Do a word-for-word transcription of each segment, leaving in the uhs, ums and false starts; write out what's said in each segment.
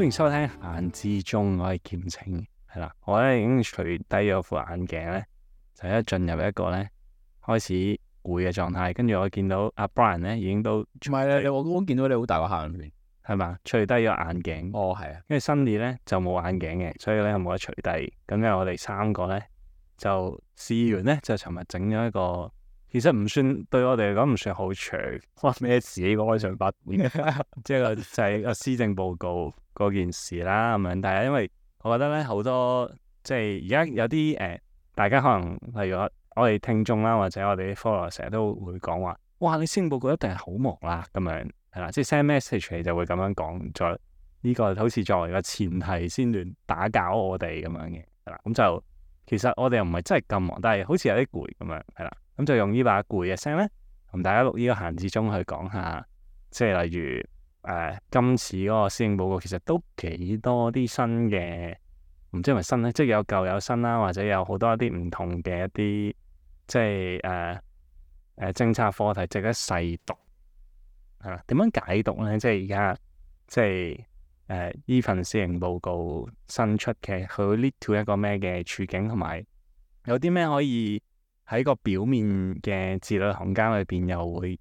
歡迎收聽閒置中，我係劍青，係啦，我咧已經除低咗副眼鏡咧，就一進入一個咧開始攰嘅狀態，跟住我見到阿 Brian 咧已經都唔係咧，你我都見到你好大個黑眼圈，係嘛，除低咗眼鏡，哦係啊，跟住 Sunny 咧就冇眼鏡嘅，所以咧冇得除低，咁咧我哋三個咧就試完咧就尋日整咗一個。其實唔算對我哋嚟講唔算好長，關咩事呢個開場白？即係個就係個施政報告嗰件事啦咁樣。但係因為我覺得咧好多即係而家有啲誒、呃，大家可能例如我我哋聽眾啦，或者我哋啲 follower 成日都會講話，哇！你施政報告一定係好忙啦咁樣，係啦，即係 send message 你就會咁樣講，再呢個好似作為個前提先亂打攪我哋咁樣嘅，係啦。咁就其實我哋又唔係真係咁忙，但係好似有啲攰咁樣，係啦。咁就用呢把攰嘅聲咧，同大家錄呢個閒置中去講下，即係例如誒、呃、今次嗰個施政報告其實都幾多啲新嘅，唔知係咪新咧，即係有舊有新啦，或者有好多一啲唔同嘅一啲即係誒誒政策課題值得細讀，係啦。點樣解讀咧？即係而家即係誒呢份施政報告新出嘅，佢會 lead to 一個咩嘅處境，同埋有啲咩可以喺個表面嘅字裏行間裏邊又會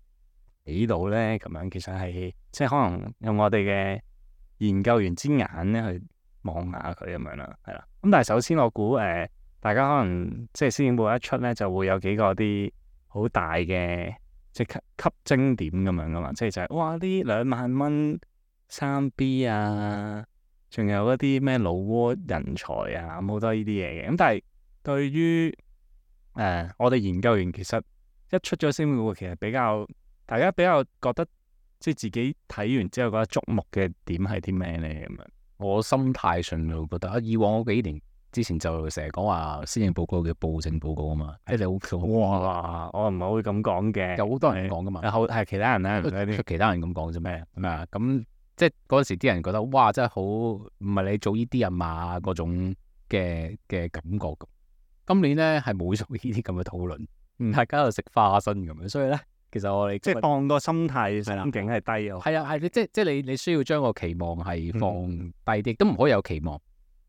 睇到咧，咁樣其實係即係可能用我哋嘅研究員之眼咧去望下佢咁樣啦，係啦。咁但係首先我估誒、呃，大家可能即係施政報告一出咧，就會有幾個啲好大嘅即係吸睛點咁樣噶嘛，即係就係、是、哇呢兩萬蚊三 B 啊，仲有一啲咩老撾人才啊，咁好多呢啲嘢嘅。咁但係對於誒、呃，我哋研究員其實一出咗施政報告，其實比較大家比較覺得即係自己睇完之後覺得矚目嘅點係啲咩咧咁樣？我心態上就覺得啊，以往嗰幾年之前就成日講話施政報告嘅暴政報告啊嘛，即係好哇！我唔係會咁講嘅，有好多人講噶嘛，有好係其他人咧，唔係啲其他人咁講啫咩？係咪啊？咁即係嗰陣時啲人覺得哇，真係好唔係你做呢啲人嘛嗰種嘅嘅感覺咁。今年咧係冇做呢啲咁嘅討論，嗯，大家喺度食花生咁樣，所以咧其實我哋即係當個心態心境係低咗。係啊係，即即係你你需要將個期望係放低啲，嗯、都唔可以有期望。誒、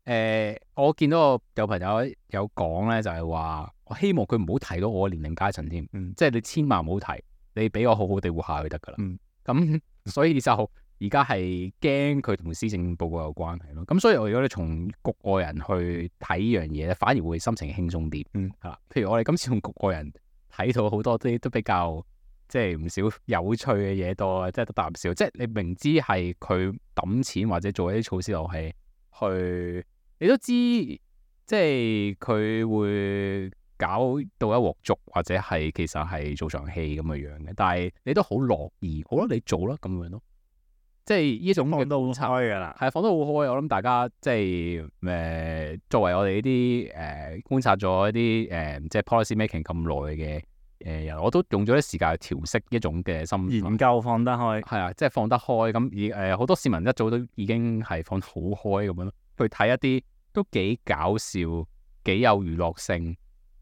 呃，我見到我有朋友有講咧，就係、是、話我希望佢唔好提到我年齡階層添，嗯、即係你千萬唔好提，你俾我好好地活下去得噶啦。咁、嗯、所以就。而家係驚佢同施政報告有關係咯，咁所以我如果你從局外人去睇呢樣嘢咧，反而會心情輕鬆啲。嗯，係啦，譬如我哋今次從局外人睇到好多啲都比較即係唔少有趣嘅嘢多，即係得啖笑。即係你明知係佢抌錢或者做一啲措施落去，去你都知即係佢會搞到一鑊粥，或者係其實係做場戲咁嘅樣嘅，但係你都好樂意，好啦，你做啦咁樣咯。即係呢種放得好開噶啦，係放得好開。我諗大家即係誒、呃，作為我哋呢啲誒觀察咗一啲誒、呃，即係 policy making 咁耐嘅誒人，我都用咗啲時間去調適一種嘅心研究放得開，係啊，即係放得開。咁而誒好多市民一早都已經係放得好開咁樣咯，去睇一啲都幾搞笑、幾有娛樂性、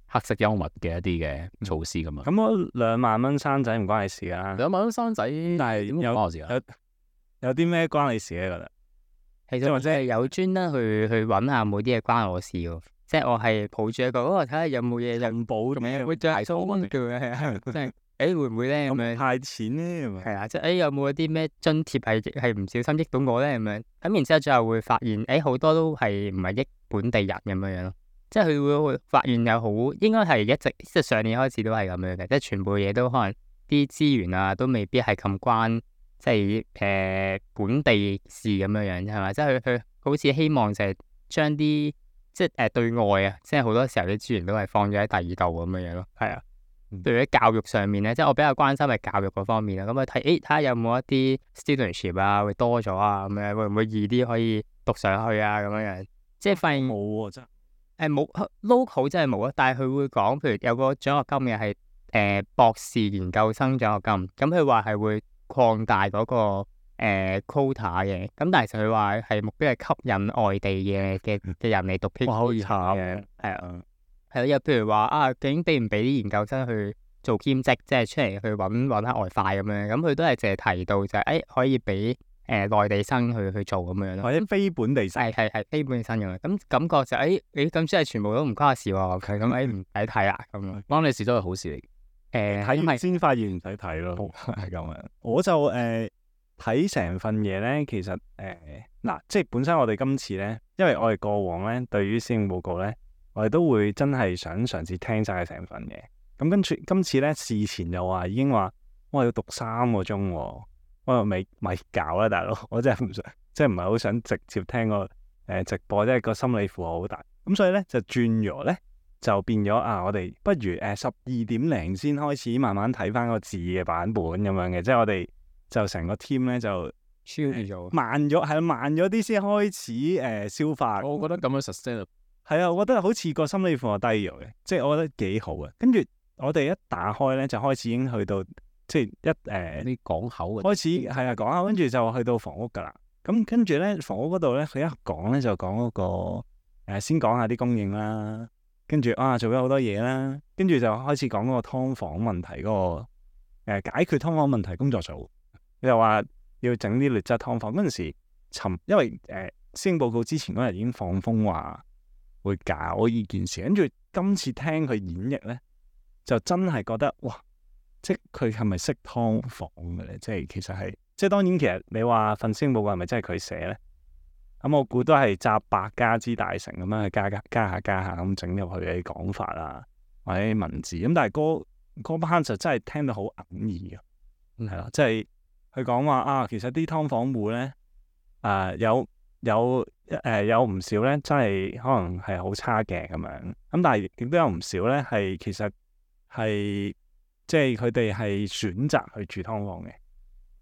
黑色幽默嘅一啲嘅措施咁啊。咁我兩萬蚊生仔唔關你事噶，兩萬蚊生仔，但係點關我事啊？有啲咩關你事咧？覺得其實或者係有專登去去揾下冇啲嘢關我事喎，即係我係抱住一個，哦睇下有冇嘢人保咁樣，會再提高温叫嘅，即係誒會唔會咧咁樣派錢咧？係啊，即係誒有冇一啲咩津貼係係唔小心益到我咧咁樣？咁然之後最後會發現誒好多都係唔係益本地人咁樣樣咯，即係佢會會發現有好應該係一直即係上年開始都係咁樣嘅，即係全部嘢都可能啲資源啊都未必係咁關。即係誒、呃、本地事咁樣樣係咪？即係佢佢好似希望就係將啲即係誒、呃、對外啊，即係好多時候啲資源都係放咗喺第二度咁樣樣咯。係啊，對於教育上面咧，即係我比較關心係教育嗰方面啦。咁啊睇誒睇下有冇一啲 studentship 啊會多咗啊咁樣，會唔會易啲可以讀上去啊咁樣樣？即係發現冇喎真誒冇 local 真係冇啊，但係佢會講，譬如有個獎學金嘅係誒博士研究生獎學金，咁佢話係會擴大嗰、那個誒、呃、quota 嘅，咁但係其實佢話係目標係吸引外地嘅嘅嘅人嚟讀 PhD 好慘嘅，係啊，係咯，又譬如話啊，究竟俾唔俾啲研究生去做兼職，即係出嚟去揾揾下外快咁樣，咁佢都係淨係提到就係、是、誒、哎、可以俾誒內地生去去做咁樣咯。或者非本地生。係係係非本地生嘅，咁感覺就誒誒咁即係全部都唔關我事喎，佢咁誒唔使睇啦咁樣。關你事都係好事嚟嘅。誒睇完因為先發現唔使睇咯，係咁樣。我就誒睇成份嘢咧，其實誒嗱、即係本身我哋今次咧，因為我哋過往咧對於施政報告咧，我哋都會真係想嘗試聽晒成份嘅。咁跟住今次咧事前又話已經話，我要讀三個鐘喎，我又未咪搞啦，大佬，我真係唔想，即係唔係好想直接聽個誒、呃、直播，即係個心理負荷好大。咁所以咧就轉咗咧。就變咗啊！我哋不如誒十二點零先開始慢慢睇翻個字嘅版本咁樣嘅，即係我哋就成個 team 咧就超咗慢咗，係慢咗啲先開始誒、呃、消化。我覺得咁樣 sustain 係啊，我覺得好似個心理負荷低咗嘅，即係我覺得幾好嘅。跟住我哋一打開咧，就開始已經去到即係一誒啲港口嘅開始係啊講下，跟住就去到房屋㗎啦。咁跟住咧房屋嗰度咧，佢一講咧就講嗰、嗰個、呃、先講下啲供應啦。跟住啊，做咗好多嘢啦，跟住就開始講嗰個劏房問題嗰、嗰個誒、呃、解決劏房問題工作組，又話要整啲劣質劏房嗰陣時，尋因為誒施政報告之前嗰日已經放風話會搞呢件事，跟住今次聽佢演繹咧，就真係覺得哇！即係佢係咪識劏房嘅咧？即係其實係即係當然，其實你話份施政報告係咪真係佢寫咧？咁我估都係集百家之大成咁樣去加加加下加下咁整入去嘅講法啦，或者文字咁，但係嗰嗰班就真係聽到好哽耳嘅，係啦、嗯，即係佢講話啊，其實啲劏房戶咧，啊、呃、有有誒、呃、有唔少咧，真係可能係好差嘅咁樣，咁但係亦都有唔少咧係其實係即係佢哋係選擇去住劏房嘅，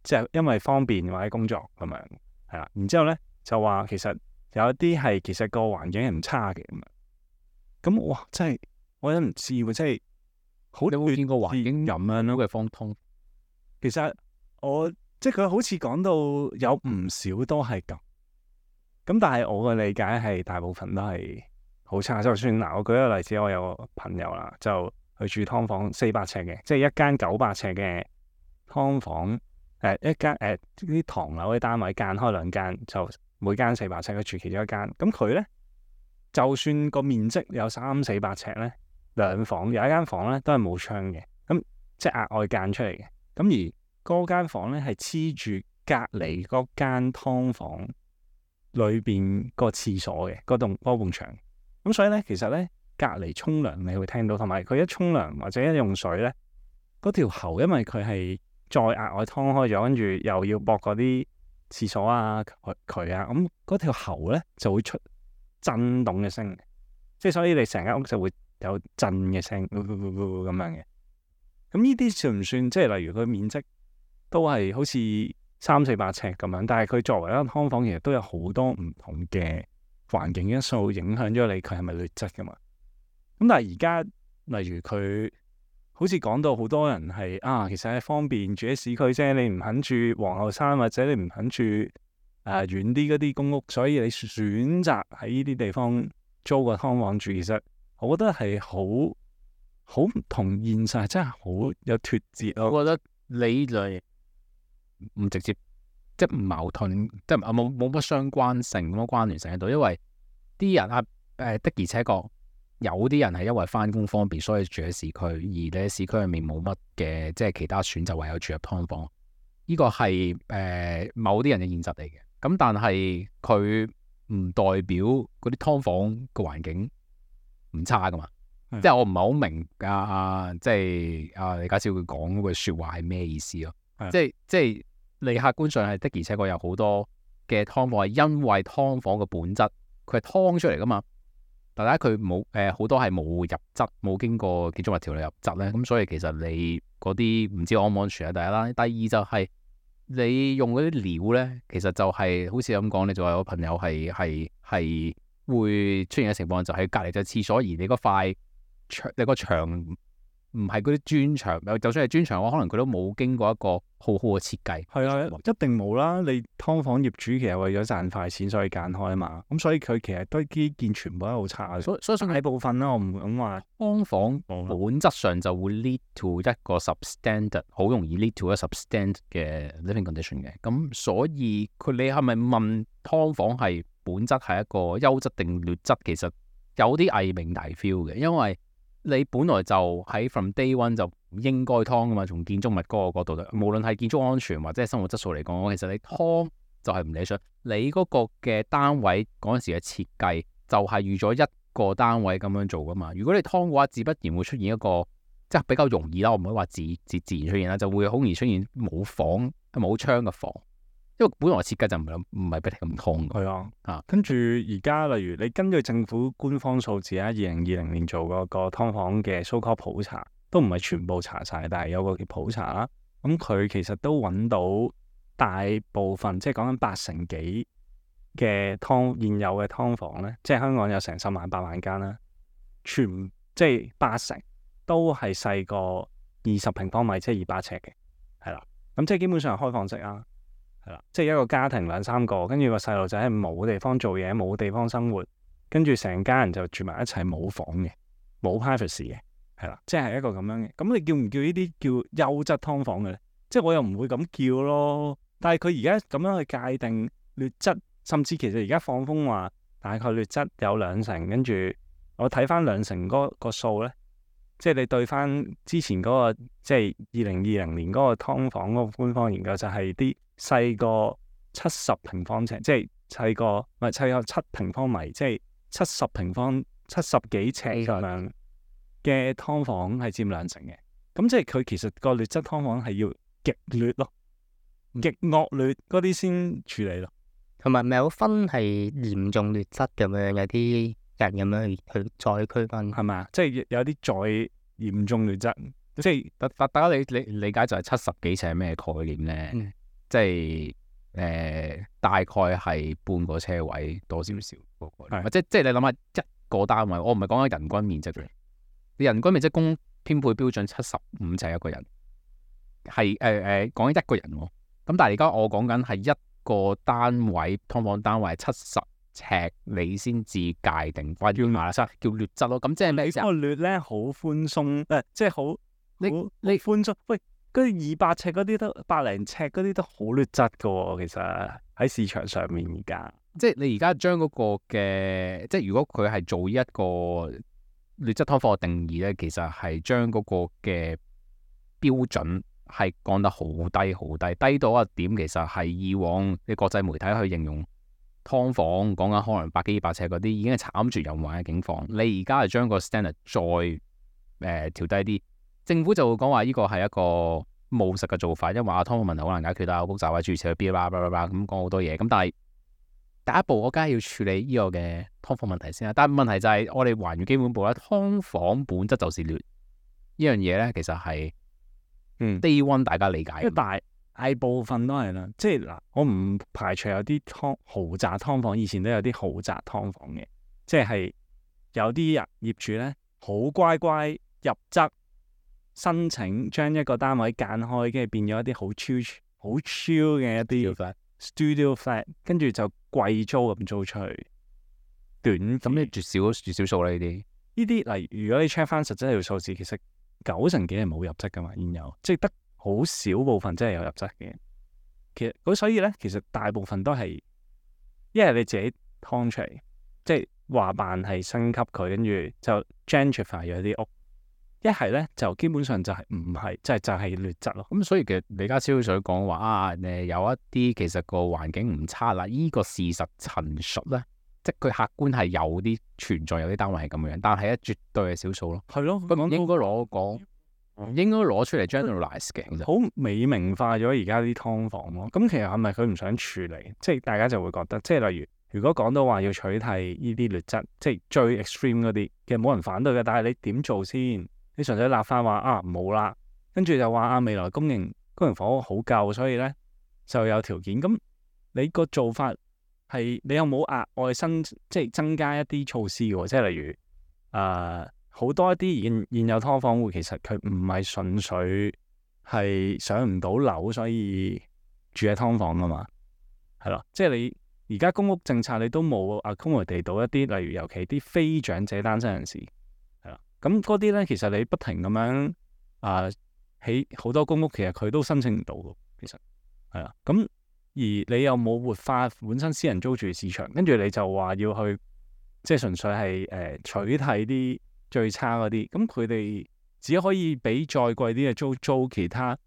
即係因為方便或者工作咁樣，係啦，然之後咧。就話其實有一啲係其實個環境係唔差嘅咁樣，咁哇真係我都唔知喎，真係好你有冇見過環境咁樣咯嘅方通？其實我即係佢好似講到有唔少都係咁，咁但係我嘅理解係大部分都係好差。就算嗱，我舉個例子，我有個朋友啦，就去住劏房四百尺嘅，即係一間九百尺嘅劏房，誒、呃、一間誒啲唐樓嘅單位間開兩間就。每間四百尺，佢住其中一間。咁佢咧，就算個面積有三四百尺咧，兩房有一間房咧都係冇窗嘅，咁即係額外間出嚟嘅。咁而嗰間房咧係黐住隔離嗰間劏房裏邊個廁所嘅嗰棟嗰埲牆。咁所以咧，其實咧隔離沖涼你會聽到，同埋佢一沖涼或者一用水咧，嗰條喉因為佢係再額外劏開咗，跟住又要駁嗰啲。廁所啊，渠啊，咁嗰條喉咧就會出震動嘅聲，即係所以你成間屋就會有震嘅聲，咁樣嘅。咁呢啲算唔算？即係例如佢面積都係好似三四百尺咁樣，但係佢作為一間劏房，其實都有好多唔同嘅環境因素影響咗你，佢係咪劣質噶嘛？咁但係而家例如佢。好似講到好多人係啊，其實係方便住喺市區啫，你唔肯住皇后山或者你唔肯住誒、呃、遠啲嗰啲公屋，所以你選擇喺呢啲地方租個劏房住，其實我覺得係好好唔同現實，真係好有脫節咯。我覺得你嚟唔直接即係唔矛盾，即係冇冇乜相關性，冇乜關聯性喺度，因為啲人啊誒、呃、的而且確。有啲人係因為翻工方便，所以住喺市區，而你喺市區入面冇乜嘅，即係其他選擇，唯有住入劏房。呢個係誒、呃、某啲人嘅現實嚟嘅。咁但係佢唔代表嗰啲劏房個環境唔差噶嘛？嗯、即係我唔係好明啊啊！即係啊李家超佢講嗰句説話係咩意思咯？嗯、即係即係你客觀上係的，而且確有好多嘅劏房係因為劏房嘅本質，佢係劏出嚟噶嘛。大家佢冇誒好多係冇入質，冇經過建築物條例入質咧，咁所以其實你嗰啲唔知安唔安全啊？第一啦，第二就係、是、你用嗰啲料咧，其實就係、是、好似咁講，你就話有朋友係係係會出現嘅情況，就係隔離隻廁所，而你嗰塊牆，你個牆唔係嗰啲磚牆，就算係磚牆嘅話，可能佢都冇經過一個好好嘅設計。係啊，一定冇啦。你劏房業主其實為咗賺快錢，所以間開啊嘛。咁所以佢其實堆基建全部都好差嘅。所以所以大部分啦，我唔敢話劏房本質上就會 lead to 一個 substandard，好容易 lead to 一個 substandard 嘅 living condition 嘅。咁所以佢你係咪問劏房係本質係一個優質定劣質？其實有啲偽命題 feel 嘅，因為你本來就喺 from day one 就唔應該劏噶嘛，從建築物嗰個角度，無論係建築安全或者係生活質素嚟講，其實你劏就係唔理想。你嗰個嘅單位嗰陣時嘅設計就係預咗一個單位咁樣做噶嘛。如果你劏嘅話，自不然會出現一個即係比較容易啦，我唔可以話自自自然出現啦，就會好容易出現冇房冇窗嘅房。因為本來設計就唔係唔係俾你咁劏嘅。係啊，啊跟住而家例如你根據政府官方數字啊，二零二零年做嗰個劏房嘅 so-called 普查，都唔係全部查晒，但係有個叫普查啦。咁佢其實都揾到大部分，即係講緊八成幾嘅劏現有嘅劏房咧，即係香港有成十萬八萬間啦，全即係八成都係細過二十平方米，即係二百尺嘅，係啦。咁即係基本上係開放式啊。係啦，即係一個家庭兩三個，跟住個細路仔係冇地方做嘢，冇地方生活，跟住成家人就住埋一齊，冇房嘅，冇 privacy 嘅，係啦，即係一個咁樣嘅。咁你叫唔叫呢啲叫優質劏房嘅咧？即係我又唔會咁叫咯。但係佢而家咁樣去界定劣質，甚至其實而家放風話大概劣質有兩成，跟住我睇翻兩成嗰個數咧，即係你對翻之前嗰個即係二零二零年嗰個劏房嗰個官方研究就係啲。細過七十平方尺，即係細過唔係細過七平方米，即係七十平方七十幾尺咁樣嘅劏房係佔兩成嘅。咁即係佢其實個劣質劏房係要極劣咯，極惡劣嗰啲先處理咯。同埋咪有分係嚴重劣質咁樣，有啲人咁樣去去再區分係咪？即係有啲再嚴重劣質，即係大大大家理理理解就係七十幾尺係咩概念咧？嗯即係誒、呃，大概係半個車位多少少嗰個，或者即係你諗下一個單位，我唔係講緊人均面積嘅，你人均面積公編配標準七十五尺一個人，係誒誒講緊一個人喎。咁但係而家我講緊係一個單位，劏房單位七十尺，你先至界定或者叫劣質，叫劣質咯。咁即係咩意思啊？個劣咧好寬鬆，誒即係好你你寬鬆喂。嗰啲二百尺嗰啲都百零尺嗰啲都好劣質噶喎，其實喺市場上面而家，即係你而家將嗰個嘅，即係如果佢係做一個劣質劏房嘅定義咧，其實係將嗰個嘅標準係降得好低好低，低到一點其實係以往嘅國際媒體去形容劏房講緊可能百幾二百尺嗰啲已經係慘絕人寰嘅境況。你而家係將個 standard 再誒、呃、調低啲。政府就會講話呢個係一個務實嘅做法，因為話劏房問題好難解決啦，好複雜啊，諸如此類，嗶啦嗶啦咁講好多嘢。咁但係第一步我梗係要處理呢個嘅劏房問題先啦。但係問題就係我哋還原基本步啦，劏房本質就是劣呢樣嘢咧，其實係嗯 day one 大家理解，因為大大部分都係啦，即係嗱，我唔排除有啲劏豪宅劏房，以前都有啲豪宅劏房嘅，即係有啲人業主咧好乖乖入則。申請將一個單位間開，跟住變咗一啲好超好超嘅一啲 studio flat，跟住就貴租咁租出去。短咁你絕少絕少數啦呢啲。呢啲例如如果你 check 翻實質條數字，其實九成幾係冇入則噶嘛，現有即係得好少部分真係有入則嘅。其實咁所以咧，其實大部分都係一係你自己劏出嚟，即係話辦係升級佢，跟住就 gentrify 咗啲屋。一係咧就基本上就係唔係，即係就係、是、劣質咯。咁所以其實李家超想講話啊，誒有一啲其實個環境唔差啦，依、這個事實陳述咧，即係佢客觀係有啲存在，有啲單位係咁樣，但係咧絕對係少數咯。係咯，唔應該攞講，唔應該攞出嚟 generalize 嘅，好美名化咗而家啲劏房咯。咁其實係咪佢唔想處理？即係大家就會覺得，即係例如如果講到話要取締呢啲劣質，即係最 extreme 嗰啲，其實冇人反對嘅。但係你點做先？你純粹立法話啊冇啦，跟住就話啊未來公營公營房屋好夠，所以咧就有條件。咁你個做法係你有冇額外新即係增加一啲措施嘅？即係例如誒、呃、好多一啲現現有劏房戶，其實佢唔係純粹係上唔到樓，所以住喺劏房噶嘛，係咯。即係你而家公屋政策，你都冇 accommodate 到一啲，例如尤其啲非長者單身人士，係啦。咁嗰啲咧，其實你不停咁樣啊起好多公屋，其實佢都申請唔到嘅，其實係啦。咁而你又冇活化本身私人租住市場，跟住你就話要去即係純粹係誒、呃、取締啲最差嗰啲，咁佢哋只可以俾再貴啲嘅租租其他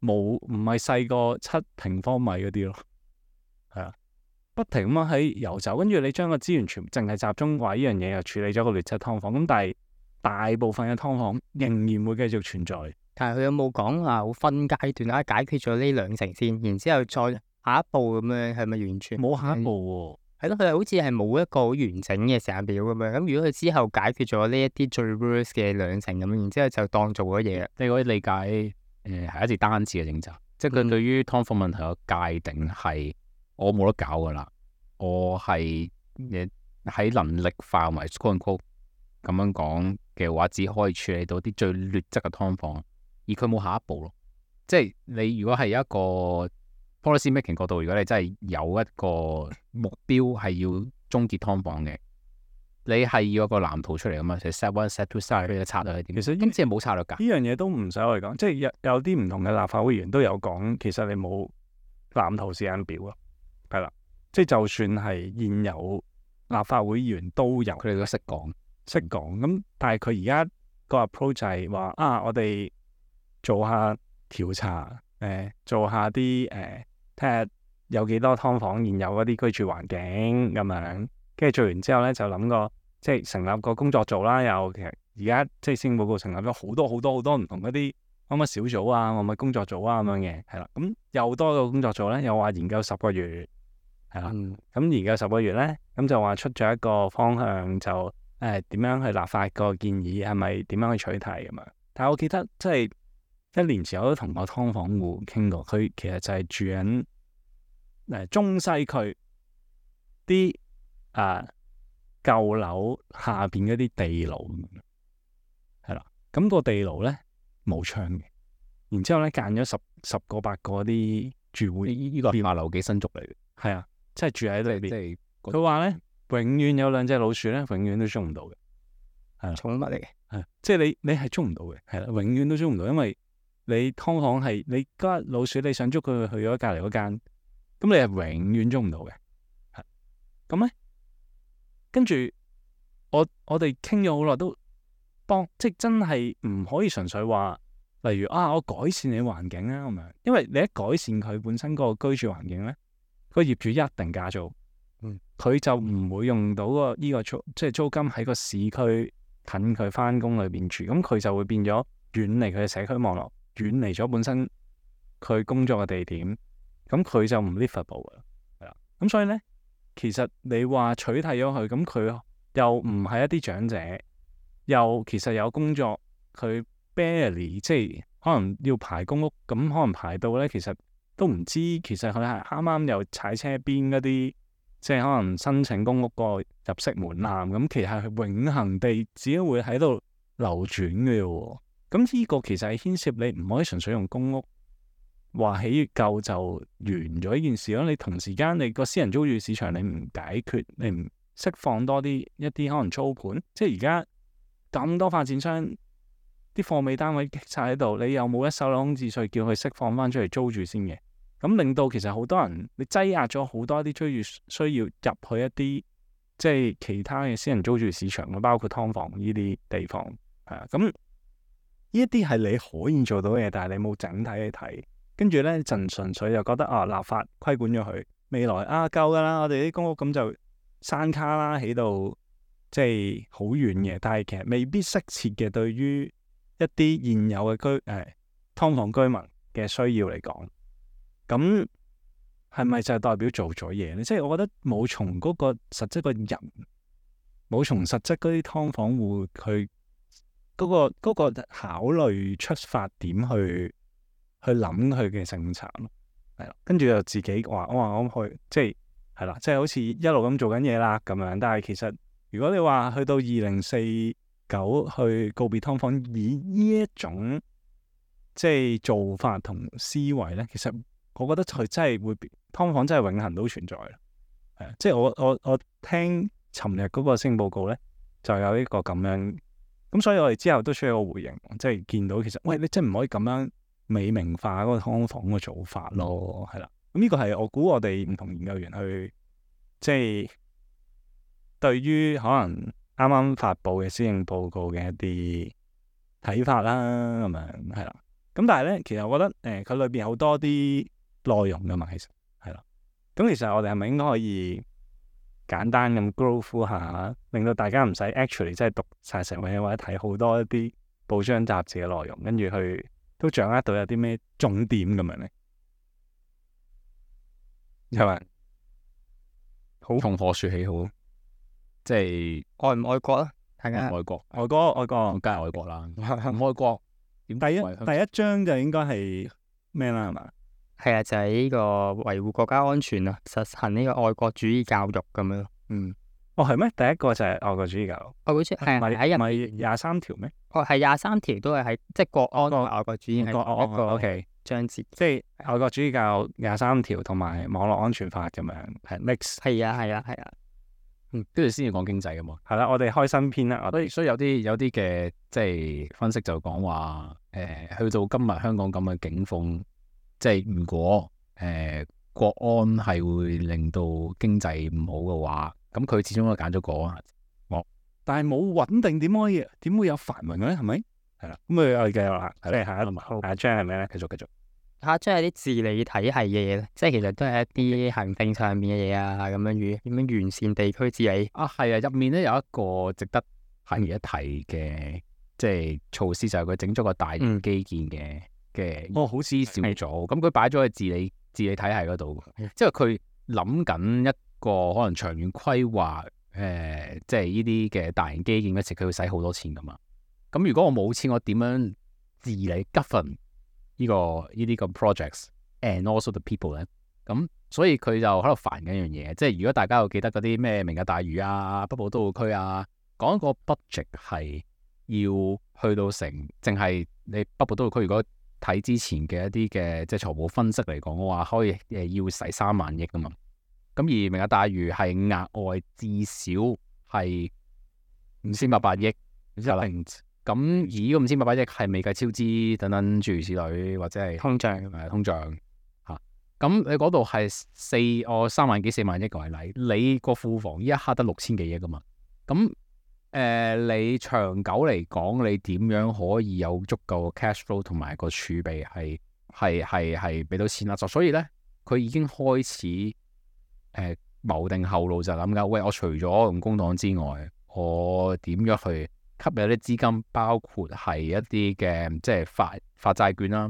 冇唔係細過七平方米嗰啲咯，係啊，不停咁樣喺遊走，跟住你將個資源全淨係集中話呢樣嘢又處理咗個劣質劏房，咁但係大部分嘅劏房仍然會繼續存在。但係佢有冇講話好分階段啊？解決咗呢兩成先，然之後再下一步咁樣，係咪完全冇下一步喎？係咯，佢係好似係冇一個好完整嘅時間表咁樣。咁如果佢之後解決咗呢一啲最 worst 嘅兩成咁樣，然之後就當做咗嘢。你可以理解誒係一次單次嘅政策，即係佢對於劏房問題嘅界定係我冇得搞噶啦，我係誒喺能力範圍 quote unquote 咁樣講嘅話，只可以處理到啲最劣質嘅劏房。而佢冇下一步咯，即係你如果係一個 policy making 角度，如果你真係有一個目標係要終結劏房嘅，你係要有個藍圖出嚟噶嘛？即係 set one、set two、set three 嘅策略係點？其實今次係冇策略㗎。呢樣嘢都唔使我哋講，即係有有啲唔同嘅立法會議員都有講，其實你冇藍圖時間表咯，係啦，即係就算係現有立法會議員都有，佢哋都識講識講咁，但係佢而家個 approach 就係話啊，我哋做下調查，誒、呃，做下啲誒，睇、呃、下有幾多劏房現有嗰啲居住環境咁樣，跟住做完之後咧，就諗個即係成立個工作組啦。又其實而家即係施政報告成立咗好多好多好多唔同嗰啲乜乜小組啊，乜乜工作組啊咁樣嘅，係啦。咁又多個工作組咧，又話研究十個月，係啦。咁、嗯、研究十個月咧，咁就話出咗一個方向，就誒點、呃、樣去立法個建議，係咪點樣去取締咁樣？但係我記得即係。一年前我都同個劏房戶傾過，佢其實就係住緊誒、呃、中西區啲啊舊樓下邊嗰啲地牢，係啦。咁、那個地牢咧冇窗嘅，然之後咧間咗十十個八個啲住戶，呢呢個係馬樓幾新族嚟嘅，係啊，即係住喺裏邊。即係佢話咧，永遠有兩隻老鼠咧，永遠都捉唔到嘅，係啦，寵物嚟嘅，係即係你你係捉唔到嘅，係啦，永遠都捉唔到，因為你劏房係你嗰老鼠，你想捉佢去咗隔籬嗰間，咁你係永遠捉唔到嘅。係咁咧，跟住我我哋傾咗好耐，都幫即係真係唔可以純粹話，例如啊，我改善你環境啊咁樣，因為你一改善佢本身個居住環境咧，個業主一定加租，嗯，佢就唔會用到個呢個租即係租金喺個市區近佢翻工裏邊住，咁佢就會變咗遠離佢嘅社區網絡。遠離咗本身佢工作嘅地點，咁佢就唔 livable 噶啦，係啦。咁所以咧，其實你話取締咗佢，咁佢又唔係一啲長者，又其實有工作，佢 barely 即係可能要排公屋，咁可能排到咧，其實都唔知，其實佢係啱啱又踩車邊嗰啲，即係可能申請公屋個入息門檻，咁其實係永恆地只會喺度流轉嘅喎。咁呢個其實係牽涉你唔可以純粹用公屋話起越夠就完咗呢件事咯。你同時間你個私人租住市場你唔解決，你唔釋放多啲一啲可能租盤，即係而家咁多發展商啲貨尾單位積晒喺度，你又冇一手樓空置稅叫佢釋放翻出嚟租住先嘅，咁令到其實好多人你擠壓咗好多啲追住需要入去一啲即係其他嘅私人租住市場，包括劏房呢啲地方係啊咁。呢一啲係你可以做到嘅嘢，但係你冇整體去睇，跟住咧就純粹就覺得啊，立法規管咗佢，未來啊夠噶啦，我哋啲公屋咁就山卡啦，起到即係好遠嘅，但係其實未必適切嘅，對於一啲現有嘅居誒劏房居民嘅需要嚟講，咁係咪就係代表做咗嘢咧？即係我覺得冇從嗰個實質個人，冇從實質嗰啲劏房戶去。嗰、那個那個考慮出發點去去諗佢嘅政策咯，係啦，跟住就自己話我話我去即係係啦，即係好似一路咁做緊嘢啦咁樣。但係其實如果你話去到二零四久去告別劏房，以呢一種即係做法同思維咧，其實我覺得佢真係會劏房真係永恆都存在啦。係啊，即係我我我聽尋日嗰個施政報告咧，就有一個咁樣，咁所以我哋之後都需要個回應，即係見到其實喂，你真係唔可以咁樣美名化嗰個劏房嘅做法咯，係啦。咁呢個係我估我哋唔同研究員去即係對於可能啱啱發布嘅施政報告嘅一啲睇法啦，咁樣係啦。咁但係咧，其實我覺得誒佢裏邊好多啲內容噶嘛，其實係啦。咁其實我哋係咪應該可以簡單咁 go through 下，令到大家唔使 actually 即係讀晒成本或者睇好多一啲報章雜誌嘅內容，跟住去都掌握到有啲咩重點咁樣咧？係咪？好，從何說起好？即係愛唔愛國啊？大家愛國，外國外國梗係愛國啦。唔愛國點第一為香第一章就應該係咩啦？係嘛？係啊，就係呢個維護國家安全啊，實行呢個愛國主義教育咁樣。嗯，哦係咩？第一個就係愛國主義教育，愛國主義係唔係喺入唔係廿三條咩？哦，係廿三條都係喺即係國安同國愛國主義係國同一個 OK，章節。即係愛國主義教育廿三條同埋網絡安全法咁樣係 mix。係啊，係啊，係啊。嗯，跟住先至講經濟噶嘛。係啦，我哋開新篇啦，我哋所以所以有啲有啲嘅即係分析就講話誒，去到今日香港咁嘅境況，即係如果誒、呃、國安係會令到經濟唔好嘅話，咁佢始終都揀咗國安。但係冇穩定點可以點會有繁榮咧？係咪？係啦，咁我哋繼續啦，即係下一下一章係咩咧？繼續繼續。下將係啲治理體系嘅嘢咧，即係其實都係一啲行政上面嘅嘢啊，咁樣與點樣完善地區治理。啊，係啊，入面咧有一個值得提一提嘅，即係措施就係佢整咗個大型基建嘅嘅哦，好司小組，咁佢擺咗喺治理治理體系嗰度，即係佢諗緊一個可能長遠規劃，誒、呃，即係呢啲嘅大型基建嗰時，佢會使好多錢噶嘛。咁如果我冇錢，我點樣治理 govern 呢、這個呢啲咁 projects and also the people 咧？咁所以佢就喺度煩緊一樣嘢，即係如果大家有記得嗰啲咩明日大嶼啊、北部都會區啊，講一個 budget 係要去到成，淨係你北部都會區如果睇之前嘅一啲嘅即係財務分析嚟講嘅話，可以誒要使三萬億噶嘛。咁而明日大嶼係額外至少係五千八百億，一咁而呢個五千八百億係未計超支等等諸如此類，或者係通脹誒通脹嚇。咁你嗰度係四哦三萬幾四萬億為例，你個庫房呢一刻得六千幾億噶嘛？咁誒、呃、你長久嚟講，你點樣可以有足夠嘅 cash flow 同埋個儲備係係係係俾到錢啦？就所以咧，佢已經開始誒、呃、謀定後路，就諗緊，喂，我除咗用公帑之外，我點樣去吸引啲資金，包括係一啲嘅即係發發債券啦。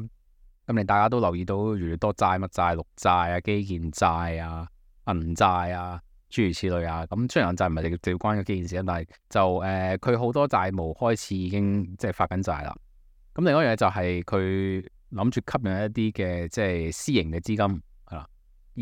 咁你大家都留意到越嚟越多債，乜債、綠債啊、基建債啊、銀債啊，諸如此類啊。咁雖然銀債唔係直接關個基建事，但係就誒佢好多債務開始已經即係發緊債啦。咁另外一樣嘢就係佢諗住吸引一啲嘅即係私營嘅資金係啦，而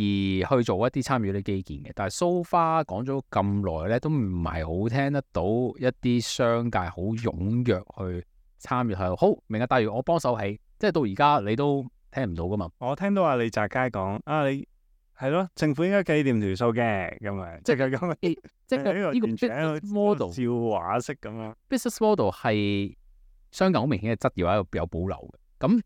去做一啲參與啲基建嘅。但係 so far 講咗咁耐咧，都唔係好聽得到一啲商界好踴躍去參與係好明日大嶼我幫手起，即係到而家你都聽唔到噶嘛。我聽到阿李澤楷講啊，你係咯，政府應該計掂條數嘅咁樣，即係佢講嘅，即係呢個 business model 笑話式咁樣。business model 係商界好明顯嘅質疑，喺度有保留嘅。咁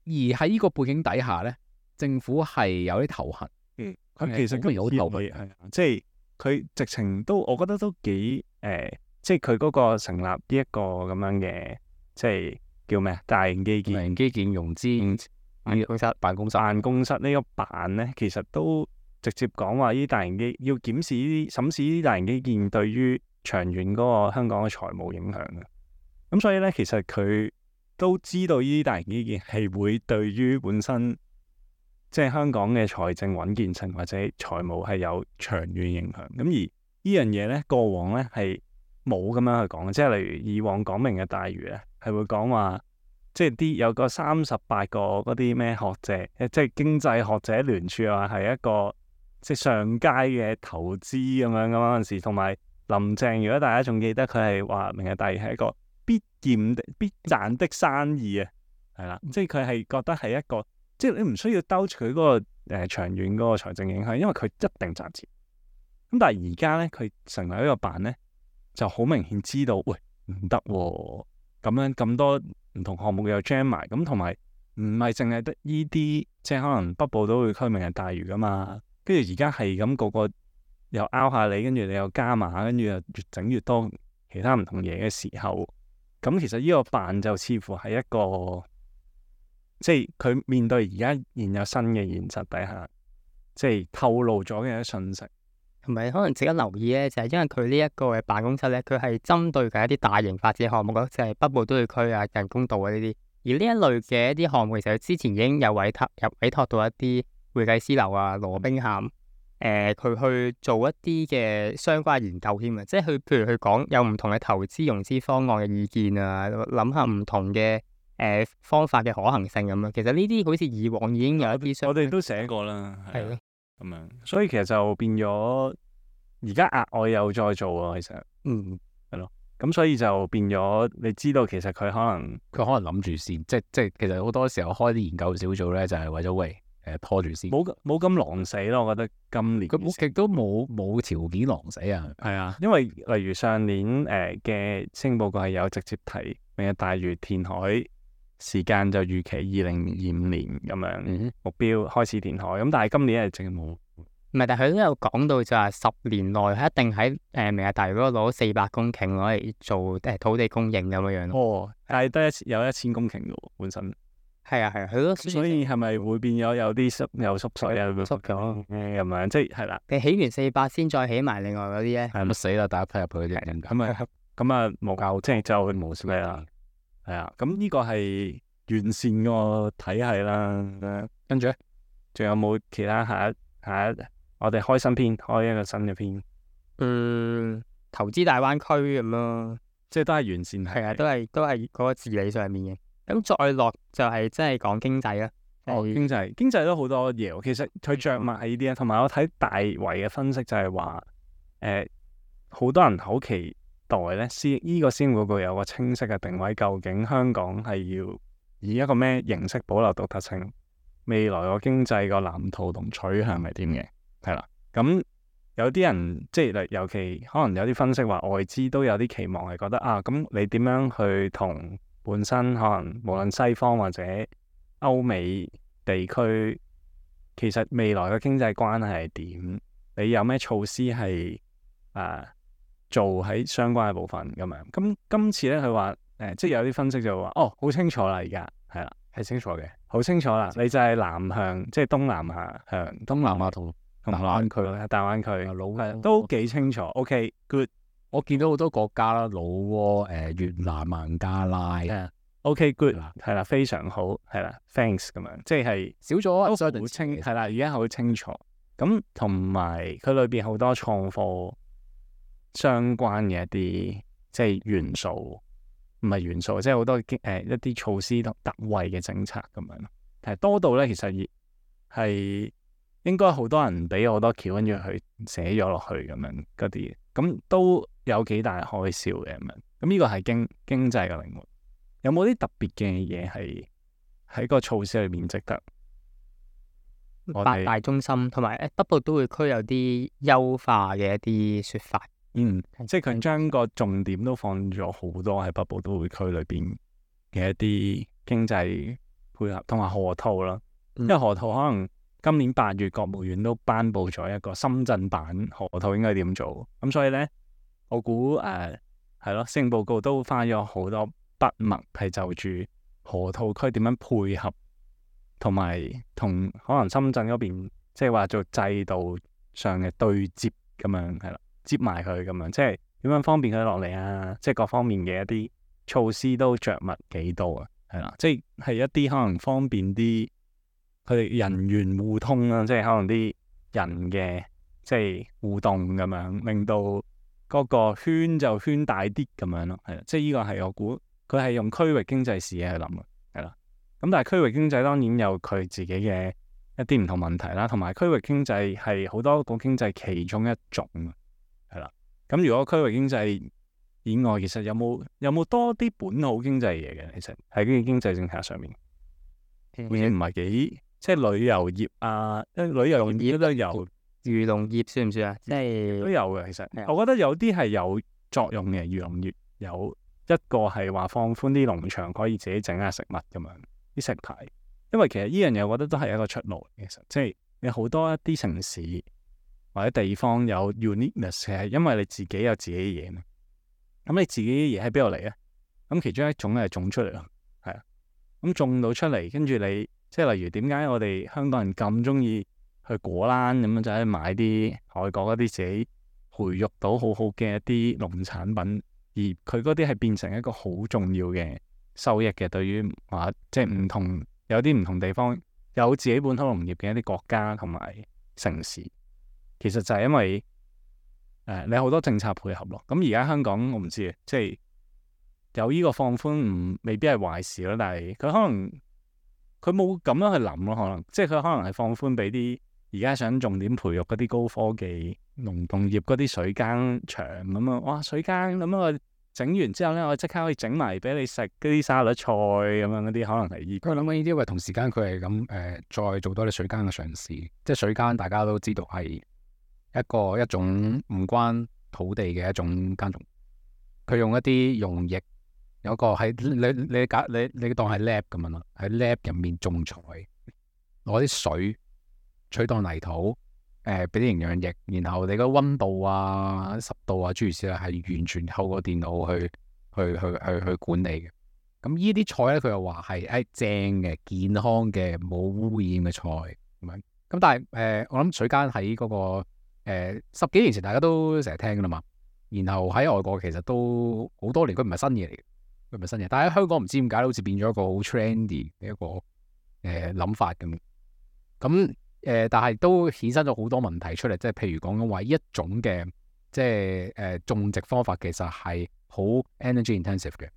而喺呢個背景底下咧，政府係有啲頭痕。嗯，佢其實有頭痕，係即係佢直情都，我覺得都幾誒、呃，即係佢嗰個成立呢一個咁樣嘅，即係叫咩啊？大型基建、大型基建融資辦公室、辦公室、辦公室呢個辦咧，其實都直接講話呢啲大型基要檢視呢啲、審視呢啲大型基建對於長遠嗰個香港嘅財務影響嘅。咁所以咧，其實佢都知道呢啲大型基建係會對於本身即係香港嘅財政穩健性或者財務係有長遠影響。咁而呢樣嘢咧，過往咧係冇咁樣去講，即係例如以往講明嘅大嶼咧，係會講話即係啲有個三十八個嗰啲咩學者，即係經濟學者聯署話係一個即係上街嘅投資咁樣咁嗰陣時，同埋林鄭，如果大家仲記得佢係話明日大嶼係一個必驗的必賺的生意啊，係啦，即係佢係覺得係一個，即係你唔需要兜住佢嗰個誒、呃、長遠嗰個財政影響，因為佢一定賺錢。咁但係而家咧，佢成為一個辦咧，就好明顯知道，喂唔得喎，咁樣咁多唔同項目又 jam 埋，咁同埋唔係淨係得依啲，即係可能北部都會區明日大嶼噶嘛，跟住而家係咁個個又拗下你，跟住你又加碼，跟住又越整越多其他唔同嘢嘅時候，咁其實呢個辦就似乎係一個，即係佢面對而家現有新嘅現實底下，即係透露咗嘅一啲信息。同埋可能值得留意咧，就係、是、因為佢呢一個嘅辦公室咧，佢係針對緊一啲大型發展項目咯，就係、是、北部都會區啊、人工島啊呢啲。而呢一類嘅一啲項目，其實佢之前已經有委託、有委託到一啲會計師樓啊、羅兵咸誒，佢、呃、去做一啲嘅相關研究添啊。即係佢譬如佢講有唔同嘅投資融資方案嘅意見啊，諗下唔同嘅誒、呃、方法嘅可行性咁樣。其實呢啲好似以往已經有一啲相，我哋都寫過啦，係咯。係咁樣，所以其實就變咗而家額外又再做啊，其實，嗯，係咯，咁所以就變咗，你知道其實佢可能佢可能諗住先，即即其實好多時候開啲研究小組咧，就係、是、為咗喂誒、呃、拖住先，冇冇咁狼死咯，我覺得今年佢冇極都冇冇條件狼死啊，係啊，因為例如上年誒嘅施政報告係有直接提明日大嶼填海時間就預期二零二五年咁樣、嗯、目標開始填海，咁但係今年係淨係冇。唔係，但係佢都有講到就係十年內係一定喺誒、呃、明日大嶼嗰度攞四百公頃攞嚟做誒、呃、土地供應咁樣樣咯。哦，但係得一有一千公頃嘅喎，本身。係啊係啊，佢都所以係咪會變咗有啲濕又縮水啊？縮咗咁樣，即係係啦。你起完四百先再起埋另外嗰啲咧，係咪死啦？大家批入去嗰啲咁啊咁啊冇教，即係就冇咩啦。係啊，咁呢個係完善個體系啦。跟住咧，仲有冇其他下一下一？我哋開新篇，開一個新嘅篇。嗯，投資大灣區咁咯，即係都係完善係。係啊，都係都係嗰個治理上面嘅。咁再落就係真係講經濟啦。哦，經濟經濟都好多嘢。其實佢着墨喺呢啲啊，同埋我睇大圍嘅分析就係話，誒、呃，好多人好期待咧，施依個施政報告有個清晰嘅定位，究竟香港係要以一個咩形式保留獨特性？未來個經濟個藍圖同取向係點嘅？係啦，咁有啲人即係尤其可能有啲分析話外資都有啲期望係覺得啊，咁你點樣去同本身可能無論西方或者歐美地區，其實未來嘅經濟關係係點？你有咩措施係啊做喺相關嘅部分咁樣？咁今次咧佢話誒，即係有啲分析就話哦，好清楚啦，而家係啦，係清楚嘅，好清楚啦，你就係南向，即係東南亞向，東南亞同。大灣區啦，大灣區老都幾清楚。OK，good。我見到好多國家啦，老撾、誒越南、孟加拉。OK，good。係啦，非常好。係啦 ，thanks 咁樣，即係少咗好清。係啦，而家好清楚。咁同埋佢裏邊好多創科相關嘅一啲即係元素，唔係元素，即係好多誒、呃、一啲措施同特惠嘅政策咁樣咯。係多到咧，其實係。應該好多人俾好多橋，跟住去寫咗落去咁樣嗰啲，咁都有幾大開銷嘅咁樣。咁呢個係經經濟嘅靈活。有冇啲特別嘅嘢係喺個措施裏面值得？八大中心同埋誒北部都會區有啲優化嘅一啲説法。嗯，即係佢將個重點都放咗好多喺北部都會區裏邊嘅一啲經濟配合，同埋河套啦。因為河套可能。今年八月，國務院都頒布咗一個深圳版河套應該點做，咁所以呢，我估誒係咯，施政報告都花咗好多筆墨係就住河套區點樣配合，同埋同可能深圳嗰邊即係話做制度上嘅對接咁樣係啦，接埋佢咁樣，即係點樣方便佢落嚟啊？即係各方面嘅一啲措施都着墨幾多啊？係啦，即係係一啲可能方便啲。佢哋人員互通啦，即係可能啲人嘅即係互動咁樣，令到嗰個圈就圈大啲咁樣咯，係啦，即係呢個係我估佢係用區域經濟視野去諗嘅，係啦。咁但係區域經濟當然有佢自己嘅一啲唔同問題啦，同埋區域經濟係好多個經濟其中一種，係啦。咁如果區域經濟以外，其實有冇有冇多啲本土經濟嘢嘅？其實喺呢個經濟政策上面，好似唔係幾即係旅遊業啊，旅遊業都有，漁農業算唔算啊？即係都有嘅。其實係我覺得有啲係有作用嘅。漁農業有一個係話放寬啲農場可以自己整下食物咁樣啲食牌，因為其實呢樣嘢我覺得都係一個出路。其實即係有好多一啲城市或者地方有 uniqueness 係因為你自己有自己嘅嘢嘛。咁你自己嘅嘢喺邊度嚟咧？咁其中一種咧係種出嚟咯，係啊。咁種到出嚟，跟住你即係例如點解我哋香港人咁中意去果欄咁樣就係買啲外國嗰啲自己培育到好好嘅一啲農產品，而佢嗰啲係變成一個好重要嘅收益嘅，對於話即係唔同有啲唔同地方有自己本土農業嘅一啲國家同埋城市，其實就係因為。誒、呃，你好多政策配合咯。咁而家香港我唔知啊，即係有呢個放寬唔未必係壞事咯。但係佢可能佢冇咁樣去諗咯，可能即係佢可能係放寬俾啲而家想重點培育嗰啲高科技農農業嗰啲水耕場咁啊。哇，水耕咁樣我整完之後咧，我即刻可以整埋俾你食嗰啲沙律菜咁樣嗰啲，可能係依佢諗緊呢啲，因為同時間佢係咁誒，再做多啲水耕嘅嘗試。即係水耕，大家都知道係一個一種唔關土地嘅一種耕種，佢用一啲溶液，有一個喺你你假你你，你當係 lab 咁樣咯，喺 lab 入面種菜，攞啲水取代泥土，誒俾啲營養液，然後你個溫度啊、濕度啊諸如此類係完全透過電腦去去去去去管理嘅。咁呢啲菜咧，佢又話係誒正嘅、健康嘅、冇污染嘅菜咁樣。咁但係誒、呃，我諗水耕喺嗰個。誒、呃、十幾年前大家都成日聽噶啦嘛，然後喺外國其實都好多年，佢唔係新嘢嚟嘅，佢唔係新嘢。但係喺香港唔知點解好似變咗一個好 trendy 嘅一個誒諗、呃、法咁。咁誒、呃，但係都衍生咗好多問題出嚟，即係譬如講緊話呢一種嘅即係誒、呃、種植方法其實係好 energy intensive 嘅，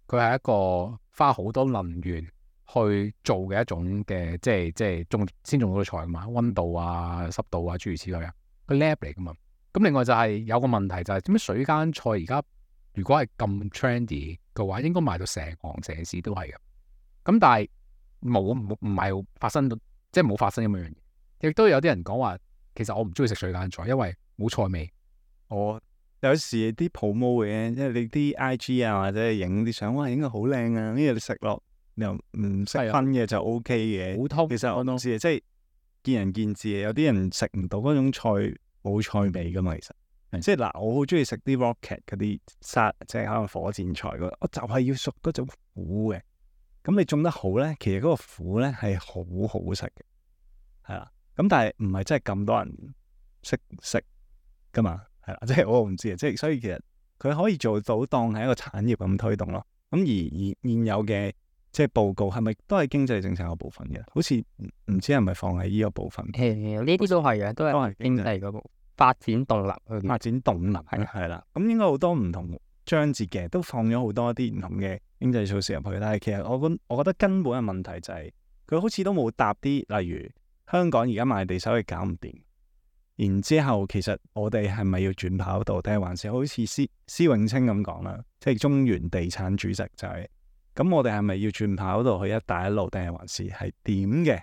佢係一個花好多能源去做嘅一種嘅，即係即係種先種到啲菜嘛，溫度啊、濕度啊諸如此類啊。個 lab 嚟噶嘛，咁另外就係有個問題就係點解水耕菜而家如果係咁 trendy 嘅話，應該賣到成行成市都係嘅。咁但係冇冇唔係發生到，即係冇發生咁樣嘢。亦都有啲人講話，其實我唔中意食水耕菜，因為冇菜味。我有時啲 promo 嘅，即係你啲 I G 啊或者影啲相，哇影到好靚啊！呢嘢你食落又唔識分嘅就 O K 嘅。好通，其實我都知，即係。見仁見智嘅，有啲人食唔到嗰種菜冇菜味噶嘛，其實的即係嗱，我好中意食啲 rocket 嗰啲沙，即係可能火箭菜嗰，我就係要熟嗰種苦嘅。咁你種得好咧，其實嗰個苦咧係好好食嘅，係啦。咁但係唔係真係咁多人識食噶嘛，係啦，即係我唔知啊，即係所以其實佢可以做到當係一個產業咁推動咯。咁而而現有嘅。即係報告係咪都係經濟政策嘅部分嘅？好似唔知係咪放喺呢個部分？誒呢啲都係嘅，都係經濟嗰部發展動能去發展動能係係啦。咁應該好多唔同章節嘅都放咗好多啲唔同嘅經濟措施入去。但係其實我覺我覺得根本嘅問題就係、是、佢好似都冇答啲，例如香港而家賣地收益搞唔掂，然之後其實我哋係咪要轉跑道，定係還是好似施施永青咁講啦，即係中原地產主席就係、是。咁我哋係咪要轉跑道去一帶一路，定係還是係點嘅？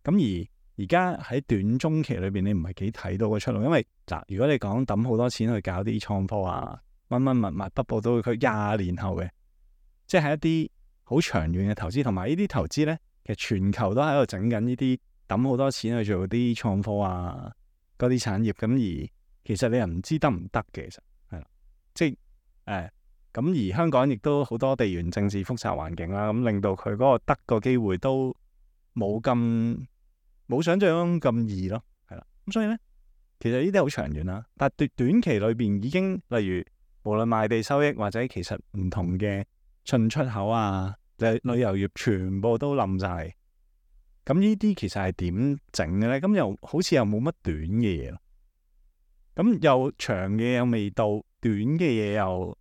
咁而而家喺短中期裏邊，你唔係幾睇到個出路，因為嗱，如果你講抌好多錢去搞啲創科啊，乜乜物物北部都會區廿年後嘅，即係一啲好長遠嘅投資，同埋呢啲投資咧，其實全球都喺度整緊呢啲抌好多錢去做啲創科啊嗰啲產業，咁而其實你又唔知得唔得嘅，其實係啦，即係誒。呃咁而香港亦都好多地緣政治複雜環境啦，咁令到佢嗰個得個機會都冇咁冇想象中咁易咯，係啦。咁所以咧，其實呢啲好長遠啦，但係短短期裏邊已經，例如無論賣地收益或者其實唔同嘅進出口啊、旅旅遊業全部都冧晒。咁呢啲其實係點整嘅咧？咁又好似又冇乜短嘅嘢咯。咁又長嘅又未到，短嘅嘢又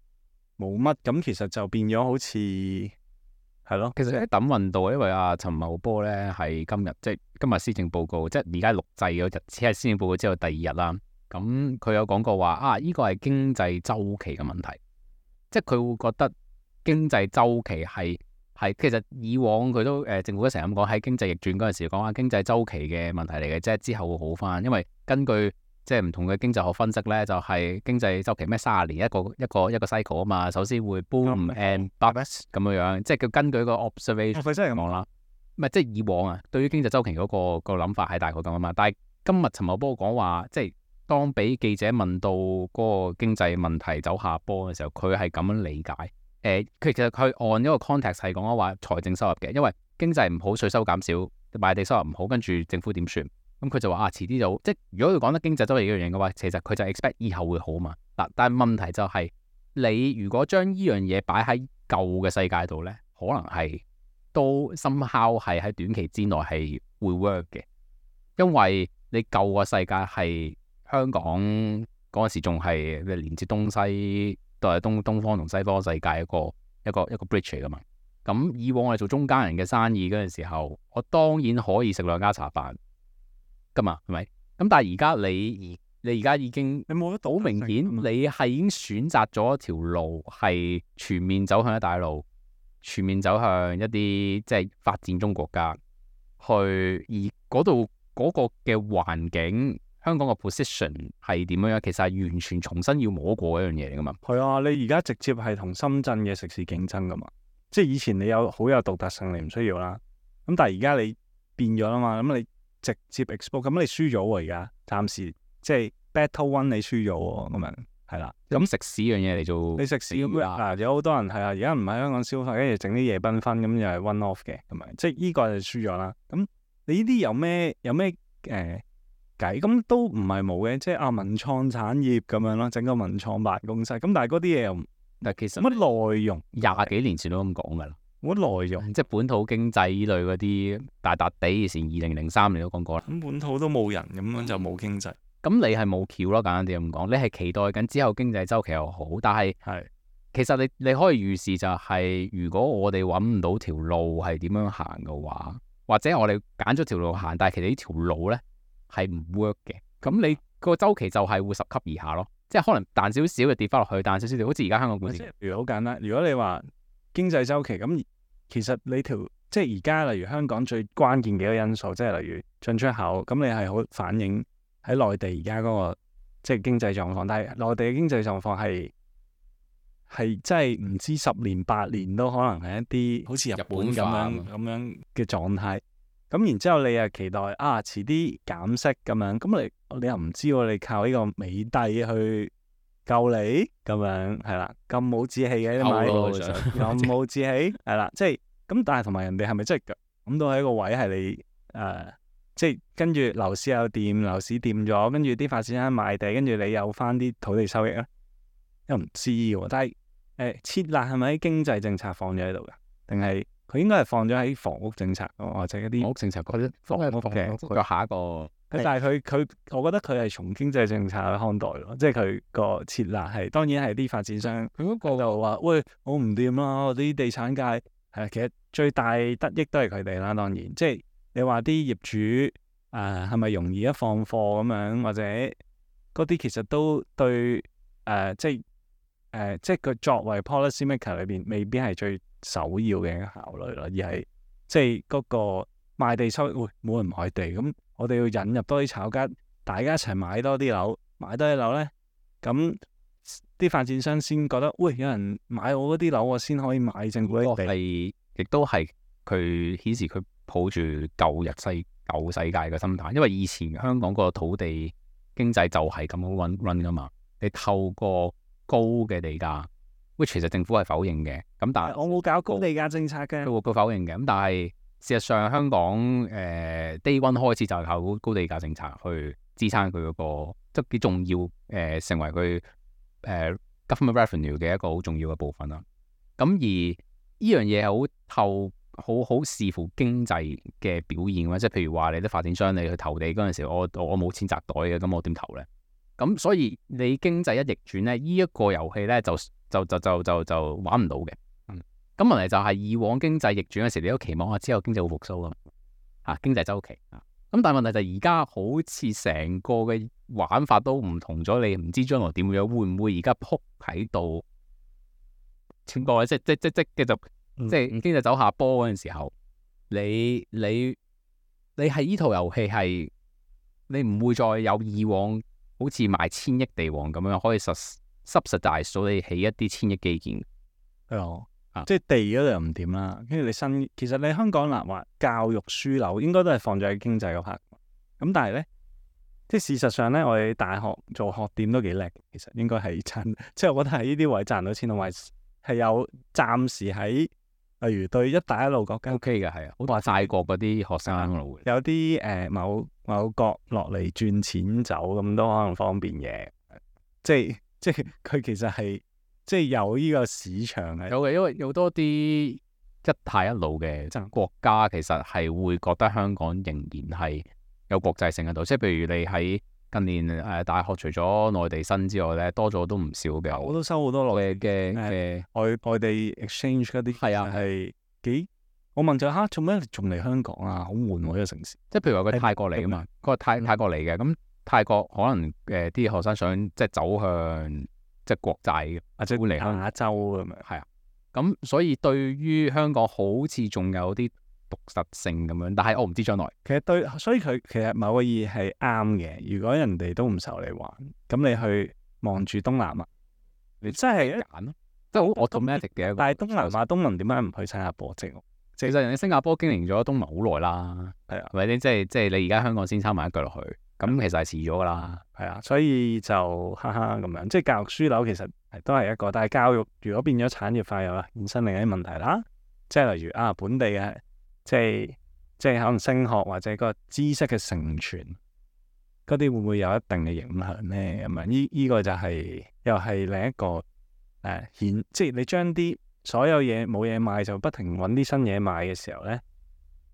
冇乜，咁其實就變咗好似係咯。其實喺等運到，因為阿陳茂波咧係今日即係今日施政報告，即係而家錄製嗰日，只係施政報告之後第二日啦。咁佢有講過話啊，呢個係經濟周期嘅問題，即係佢會覺得經濟周期係係其實以往佢都誒、呃、政府都成日咁講，喺經濟逆轉嗰陣時講話經濟周期嘅問題嚟嘅啫，之後會好翻，因為根據即係唔同嘅經濟學分析咧，就係、是、經濟周期咩三十年一個一個一個 cycle 啊嘛，首先會 boom and bust 咁樣樣，即係佢根據個 observation 咁講啦，唔係即係以往啊，對於經濟周期嗰、那個、那個諗法係大概咁啊嘛，但係今日陳茂波講話，即係當俾記者問到嗰個經濟問題走下坡嘅時候，佢係咁樣理解。誒、呃，佢其實佢按一個 context 係講話財政收入嘅，因為經濟唔好，稅收減少，賣地收入唔好，跟住政府點算？咁佢就話啊，遲啲就即係如果佢講得經濟周期呢樣嘢嘅話，其實佢就 expect 以後會好嘛。嗱，但係問題就係、是、你如果將呢樣嘢擺喺舊嘅世界度咧，可能係都 somehow 係喺短期之內係會 work 嘅，因為你舊個世界係香港嗰陣時仲係連接東西，都係東東方同西方世界一個一個一個 bridge 嚟噶嘛。咁以往我哋做中間人嘅生意嗰陣時候，我當然可以食兩家茶飯噶嘛，係咪？咁但係而家你你而家已經你冇得好明顯，你係已經選擇咗一條路係全面走向一帶一路，全面走向一啲即係發展中國家去，而嗰度嗰個嘅環境，香港個 position 係點樣？其實係完全重新要摸過一樣嘢嚟噶嘛。係啊，你而家直接係同深圳嘅食肆競爭噶嘛。即係以前你有好有獨特性，你唔需要啦。咁但係而家你變咗啦嘛，咁你直接 export，咁你輸咗喎而家，暫時即係 battle one 你輸咗喎，咁樣係啦。咁食肆樣嘢嚟做，你食肆咁啊，有好多人係啊，而家唔喺香港消費，跟住整啲夜繽紛，咁又係 one off 嘅，咁樣即係呢個就輸咗啦。咁你呢啲有咩有咩誒計？咁都唔係冇嘅，即係啊文創產業咁樣咯，整個文創辦公室。咁但係嗰啲嘢又但其實乜內容？廿幾年前都咁講噶啦，冇乜內容，即係本土經濟呢類嗰啲大笪地，以前二零零三年都講過啦。咁本土都冇人，咁樣就冇經濟。咁你係冇橋咯，簡單啲咁講，你係期待緊之後經濟周期又好，但係係其實你你可以預示就係、是，如果我哋揾唔到條路係點樣行嘅話，或者我哋揀咗條路行，但係其實呢條路咧係唔 work 嘅，咁你個周期就係會十級以下咯。即係可能彈少少就跌翻落去，彈少少就好似而家香港股市。即係譬如好簡單，如果你話經濟周期咁，其實你條即係而家例如香港最關鍵嘅一個因素，即係例如進出口，咁你係好反映喺內地而家嗰個即係經濟狀況。但係內地嘅經濟狀況係係真係唔知十年八年都可能係一啲好似日本咁樣咁樣嘅狀態。咁然之後你又期待啊，遲啲減息咁樣，咁你你又唔知喎，你靠呢個美帝去救你咁樣係啦，咁冇志氣嘅你買，咁冇志氣係啦，即係咁，但係同埋人哋係咪真係諗到喺一個位係你誒、呃，即係跟住樓市又掂，樓市掂咗，跟住啲發展商賣地，跟住你有翻啲土地收益咧，又唔知喎。但係誒設立係咪喺經濟政策放咗喺度㗎？定係？佢應該係放咗喺房屋政策，或者一啲房屋政策嗰啲房屋嘅，佢下一個。但係佢佢，我覺得佢係從經濟政策去看待咯，即係佢個設立係當然係啲發展商，佢嗰個就話：喂，我唔掂啦，我啲地產界係其實最大得益都係佢哋啦。當然，即係你話啲業主誒係咪容易一放貨咁樣，或者嗰啲其實都對誒、呃，即係誒、呃，即係佢作為 policy maker 裏邊，未必係最首要嘅考慮咯，而係即係嗰個賣地收益，會冇人買地，咁我哋要引入多啲炒家，大家一齊買多啲樓，買多啲樓咧，咁啲發展商先覺得，喂，有人買我嗰啲樓，我先可以買政府啲地。係，亦都係佢顯示佢抱住舊日世舊世界嘅心態，因為以前香港個土地經濟就係咁樣 run run 噶嘛，你透過高嘅地價。其實政府係否認嘅，咁但係我冇搞高地價政策嘅，佢佢否認嘅。咁但係事實上香港誒、呃、day one 開始就係靠高地價政策去支撐佢嗰個，即係幾重要誒、呃，成為佢誒、呃、government revenue 嘅一個好重要嘅部分啦。咁而呢樣嘢係好透好好視乎經濟嘅表現嘅，即係譬如話你啲發展商你去投地嗰陣時，我我冇錢擲袋嘅，咁我點投咧？咁所以你經濟一逆轉咧，呢、這、一個遊戲咧就就就就就就玩唔到嘅。嗯，咁問題就係以往經濟逆轉嘅時，你都期望啊之後經濟會復甦啊，嚇經濟周期啊。咁但係問題就係而家好似成個嘅玩法都唔同咗，你唔知將來點樣，會唔會而家撲喺度？全部即即即即嘅就即係經濟走下坡嗰陣時候，你你你係呢套遊戲係你唔會再有以往好似賣千億地王咁樣可以實subsidize到你起一啲千億基建。係啊。啊即係地嗰度又唔掂啦，跟住你新，其實你香港嗱話教育樞紐應該都係放咗喺經濟嗰 part，咁但係咧，即係事實上咧，我哋大學做學店都幾叻，其實應該係賺，即係我覺得喺呢啲位賺到錢，同埋係有暫時喺，例如對一帶一路國家 OK 嘅係啊，好話泰國嗰啲學生咯會，有啲誒、呃、某某國落嚟轉錢走咁都可能方便嘅，即係即係佢其實係。即係有呢個市場係有嘅，因為有多啲一帶一路嘅國家，其實係會覺得香港仍然係有國際性喺度。即係譬如你喺近年誒、呃、大學除咗內地生之外咧，多咗都唔少嘅。我都收好多內嘅嘅嘅外外地 exchange 嗰啲係啊係幾。我問就嚇做咩仲嚟香港啊？好悶喎呢個城市。即係譬如話佢泰國嚟㗎嘛，佢話泰泰國嚟嘅，咁泰國可能誒啲、呃、學生想即係走向。即係國際嘅，或者會嚟亞洲咁樣，係啊。咁所以對於香港好似仲有啲獨特性咁樣，但係我唔知將來。其實對，所以佢其實某個意義係啱嘅。如果人哋都唔受你玩，咁你去望住東南亞，你真係揀咯，即係好 automatic 嘅。但係東南亞東盟點解唔去新加坡啫？其實人哋新加坡經營咗東盟好耐啦，係啊，係咪先？即係即係你而家香港先插埋一腳落去。咁其實係遲咗噶啦，係啊，所以就哈哈咁樣，即係教育樞紐其實係都係一個，但係教育如果變咗產業化，又衍生另一啲問題啦。即係例如啊，本地嘅即係即係可能升學或者個知識嘅承傳，嗰啲會唔會有一定嘅影響咧？咁啊，呢依個就係、是、又係另一個誒顯、呃，即係你將啲所有嘢冇嘢賣，就不停揾啲新嘢賣嘅時候咧，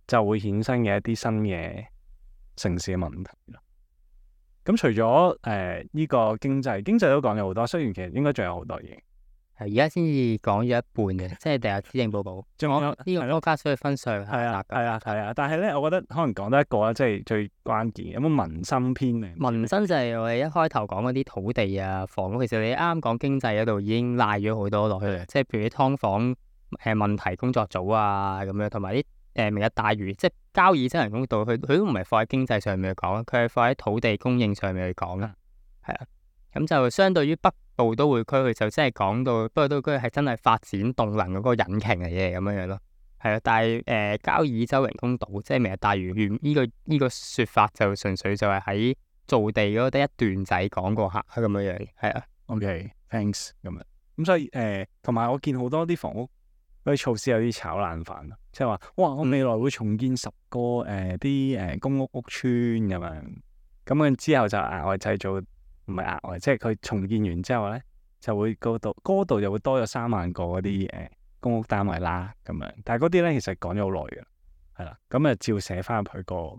就會衍生嘅一啲新嘅城市嘅問題咯。咁除咗誒呢個經濟，經濟都講咗好多，雖然其實應該仲有好多嘢。係而家先至講咗一半嘅，即係第日施政報告。仲有呢個國家需要分上下。係啊，係啊，係啊。但係咧，我覺得可能講得一個啦，即係最關鍵。有冇民生篇咧？民生就係我哋一開頭講嗰啲土地啊、房屋。其實你啱啱講經濟嗰度已經賴咗好多落去啦。即係譬如啲劏房誒問題工作組啊咁樣，同埋啲。誒明日大嶼，即係交椅洲人工島，佢佢都唔係放喺經濟上面去講，佢係放喺土地供應上面去講啦。係啊，咁就相對於北部都會區，佢就真係講到北部都會區係真係發展動能嗰個引擎嚟嘅咁樣樣咯。係啊，但係誒、呃、交椅洲人工島，即係明日大嶼原呢個呢、呢個説法就純粹就係喺造地嗰得一段仔講過下咁樣樣。係啊 ，OK，thanks 咁樣。咁所以誒，同、呃、埋我見好多啲房屋。嗰啲措施有啲炒冷飯，即係話哇，我未來會重建十個誒啲誒公屋屋村咁樣，咁樣之後就額外製造，唔係額外，即係佢重建完之後咧，就會嗰度嗰度就會多咗三萬個嗰啲誒公屋單位啦，咁樣。但係嗰啲咧其實講咗好耐嘅，係啦，咁啊照寫翻入去個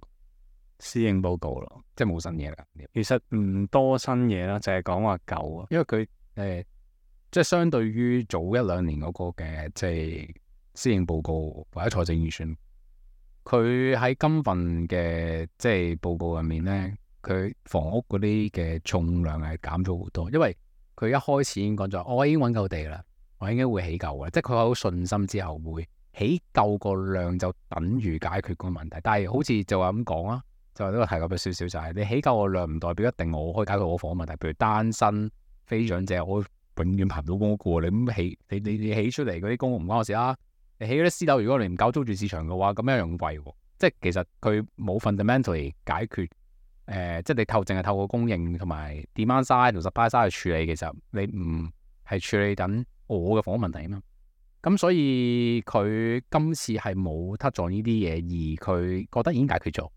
施政報告咯，即係冇新嘢啦。其實唔多新嘢啦，就係講話舊啊，因為佢誒。呃即係相對於早一兩年嗰個嘅即係施政報告或者財政預算，佢喺今份嘅即係報告入面咧，佢房屋嗰啲嘅重量係減咗好多，因為佢一開始已經講咗，我已經揾夠地啦，我應該會起夠嘅，即係佢有信心之後會起夠個量就等於解決個問題。但係好似就話咁講啦，就話呢個提及咗少少就係、是、你起夠個量唔代表一定我可以解決我房屋問題，譬如單身非長者我。永遠排唔到公屋嘅，你咁起，你你你起出嚟嗰啲公屋唔關我事啦。你起嗰啲私樓，如果你唔搞租住市場嘅話，咁一樣貴。即係其實佢冇 fundamentally 解決，誒、呃，即係你透淨係透過供應同埋 demand side 同 supply side 去處理，其實你唔係處理緊我嘅房屋問題啊嘛。咁所以佢今次係冇 touch on呢啲嘢，而佢覺得已經解決咗。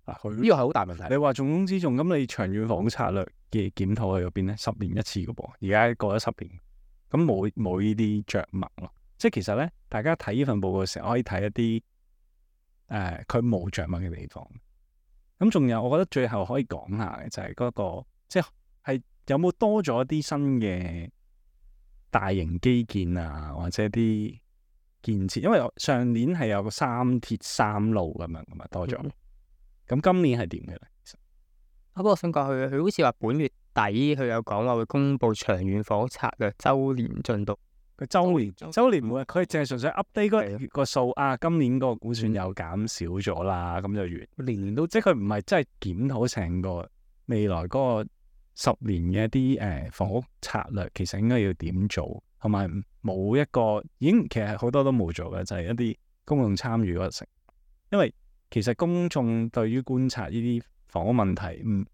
呢個係好大問題。你話重中之重，咁你長遠房屋策略嘅檢討喺嗰邊咧？十年一次嘅噃，而家過咗十年，咁冇冇呢啲着墨咯？即係其實咧，大家睇呢份報告嘅時候，可以睇一啲誒，佢冇着墨嘅地方。咁仲有，我覺得最後可以講下嘅就係嗰個，即係有冇多咗啲新嘅大型基建啊，或者啲建設？因為上年係有個三鐵三路咁樣咁啊，多咗。咁今年係點嘅咧？其實不過我想講佢，佢好似話本月底佢有講話會公布長遠房屋策略週年進度。佢週年週年每佢淨係純粹 update 嗰係個數啊，今年個估算又減少咗啦，咁就完。年年都即係佢唔係真係檢討成個未來嗰個十年嘅一啲誒、呃、房屋策略，其實應該要點做，同埋冇一個已經其實好多都冇做嘅，就係、是、一啲公眾參與嗰個成。因為其實公眾對於觀察呢啲房屋問題，唔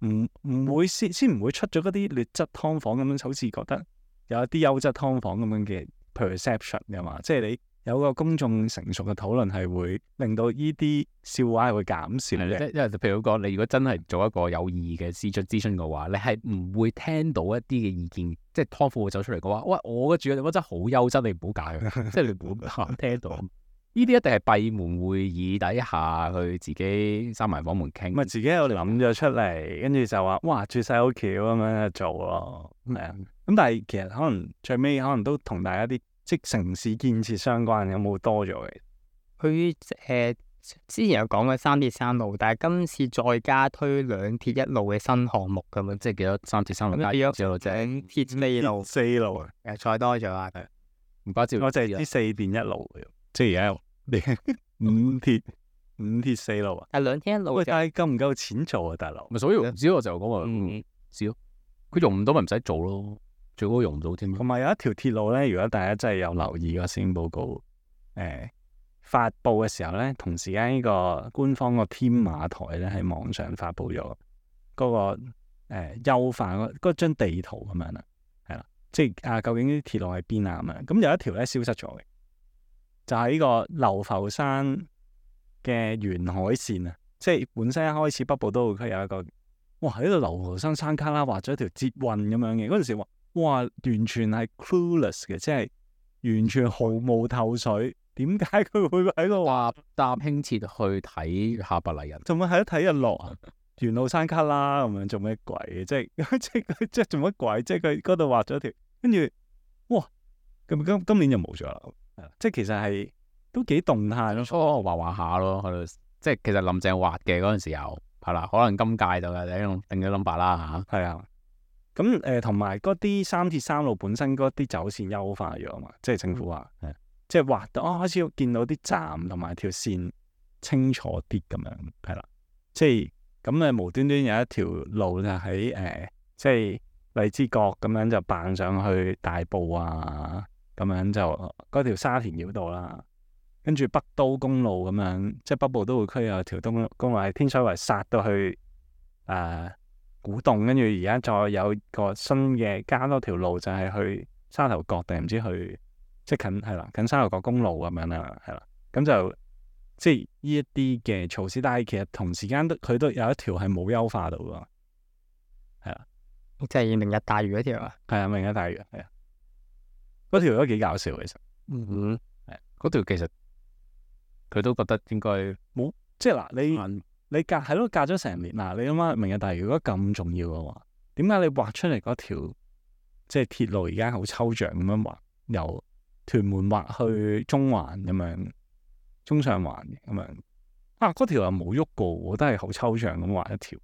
唔唔會先先唔會出咗嗰啲劣質劏房咁樣，好似覺得有一啲優質劏房咁樣嘅 perception 㗎嘛，即係你有個公眾成熟嘅討論係會令到呢啲笑話係會減少嘅。因為譬如講，你如果真係做一個有意義嘅諮詢諮詢嘅話，你係唔會聽到一啲嘅意見，即係劏房會走出嚟嘅話，喂，我嘅住嘅地方真係好優質，你唔好搞嘅，即係你唔好聽到。呢啲一定係閉門會議底下去自己閂埋房門傾，咪自己喺度諗咗出嚟，跟住就話哇住晒好橋咁樣做咯，係啊。咁但係其實可能最尾可能都同大家啲即係城市建設相關，有冇多咗嘅？佢誒、呃、之前有講過三鐵三路，但係今次再加推兩鐵一路嘅新項目咁樣，即係幾多三鐵三路加咗一路啫，兩鐵四路，四路啊，誒再多咗啊！唔怪之我就係知四電一路嘅，即係而家五鐵五鐵四路啊。但兩鐵一路喂，就但係夠唔夠錢做啊，大佬？咪所以唔知我就講話嗯唔知咯，佢用唔到咪唔使做咯，最好用唔到添。同埋有一條鐵路咧，如果大家真係有留意個施政報告，誒、呃、發布嘅時候咧，同時間呢個官方個天馬台咧喺網上發布咗嗰、那個誒、呃、優化嗰嗰張地圖咁樣啦，係啦，即係啊究竟啲鐵路喺邊啊咁樣，咁有一條咧消失咗嘅，就係、是、呢個流浮山嘅沿海線啊，即係本身一開始北部都會區有一個，哇喺度流浮山山卡拉畫咗一條捷運咁樣嘅，嗰陣時話哇完全係 clueless 嘅，即係完全毫無頭緒，點解佢會喺度搭搭輕鐵去睇下白泥人，做乜喺度睇日落啊？沿路山卡拉咁樣做咩鬼嘅？即係即係即係做乜鬼？即係佢嗰度畫咗條，跟住哇咁今今年就冇咗啦，即係其實係都幾動態咯。初畫畫下咯，喺度即係其實林鄭畫嘅嗰陣時候係啦，可能今屆就係定定咗 number 啦嚇。係啊，咁誒同埋嗰啲三鐵三路本身嗰啲走線優化咗啊嘛，即係政府話，係即係畫到哦開始見到啲站同埋條線清楚啲咁樣，係啦，即係咁誒無端端有一條路就喺誒、呃、即係荔枝角咁樣就扮上去大埔啊，咁樣就嗰條沙田繞道啦。跟住北都公路咁樣，即係北部都會區有條東公路喺天水圍殺到去誒、呃、古洞，跟住而家再有個新嘅加多條路，就係去沙頭角定唔知去即係近係啦，近沙頭角公路咁樣啦，係啦，咁就即係呢一啲嘅措施，但係其實同時間都佢都有一條係冇優化到㗎，係啦，即係明日大嶼嗰條啊，係啊，明日大嶼係啊，嗰條都幾搞笑其實，嗯，係嗰條其實。佢都覺得應該冇，即係嗱，你你隔係咯，隔咗成年嗱，你諗下明日大嶼如果咁重要嘅話，點解你畫出嚟嗰條即係鐵路而家好抽象咁樣畫，由屯門畫去中環咁樣，中上環咁樣啊？嗰條又冇喐過，我都係好抽象咁畫一條。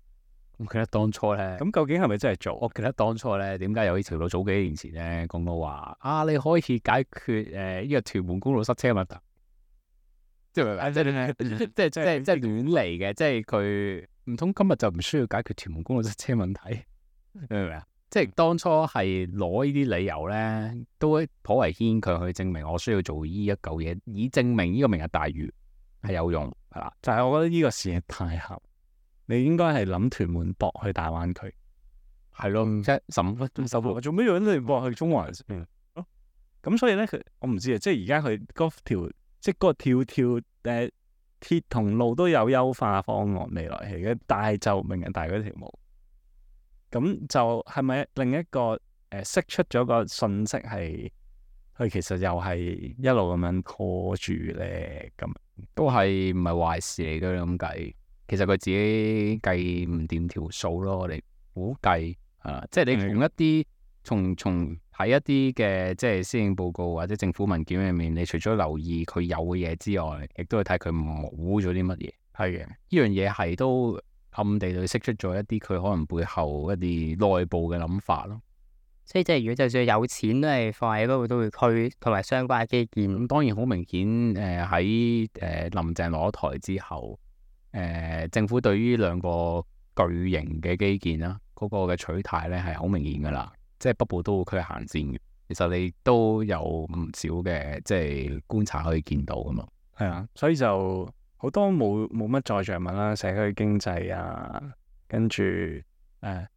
我記得當初咧，咁究竟係咪真係做？我記得當初咧，點解有呢條路早幾年前咧講到話啊，你可以解決誒呢、呃這個屯門公路塞車問題。即係即係即係即係即係亂嚟嘅，即係佢唔通今日就唔需要解決屯門公路塞車問題，明唔明啊？即係當初係攞呢啲理由咧，都頗為牽強去證明我需要做呢一嚿嘢，以證明呢個明日大嶼係有用，係啦。就係我覺得呢個事係太合，你應該係諗屯門駁去大灣區，係咯，即係十五分鐘收貨，做咩要你駁去中環先？咁、嗯、所以咧，佢我唔知啊，即係而家佢嗰條。即係嗰個跳跳誒、呃、鐵同路都有優化方案未來係嘅，但係就明日大嶼嗰條冇，咁就係咪另一個誒釋、呃、出咗個信息係佢其實又係一路咁樣拖住咧？咁都係唔係壞事嚟嘅咁計？其實佢自己計唔掂條數咯，我哋估計啊，即係你從一啲從從。喺一啲嘅即係施政報告或者政府文件入面，你除咗留意佢有嘅嘢之外，亦都要睇佢冇咗啲乜嘢。係嘅，呢樣嘢係都暗地裏釋出咗一啲佢可能背後一啲內部嘅諗法咯。所以即係如果就算有錢都係放喺嗰個都會區同埋相關嘅基建。咁當然好明顯，誒喺誒林鄭攞台之後，誒、呃、政府對於兩個巨型嘅基建啦，嗰、那個嘅取態咧係好明顯噶啦，即係北部都會區行先嘅。其實你都有唔少嘅即係觀察可以見到噶嘛。係啊，所以就好多冇冇乜再着物啦，社區經濟啊，跟住誒。呃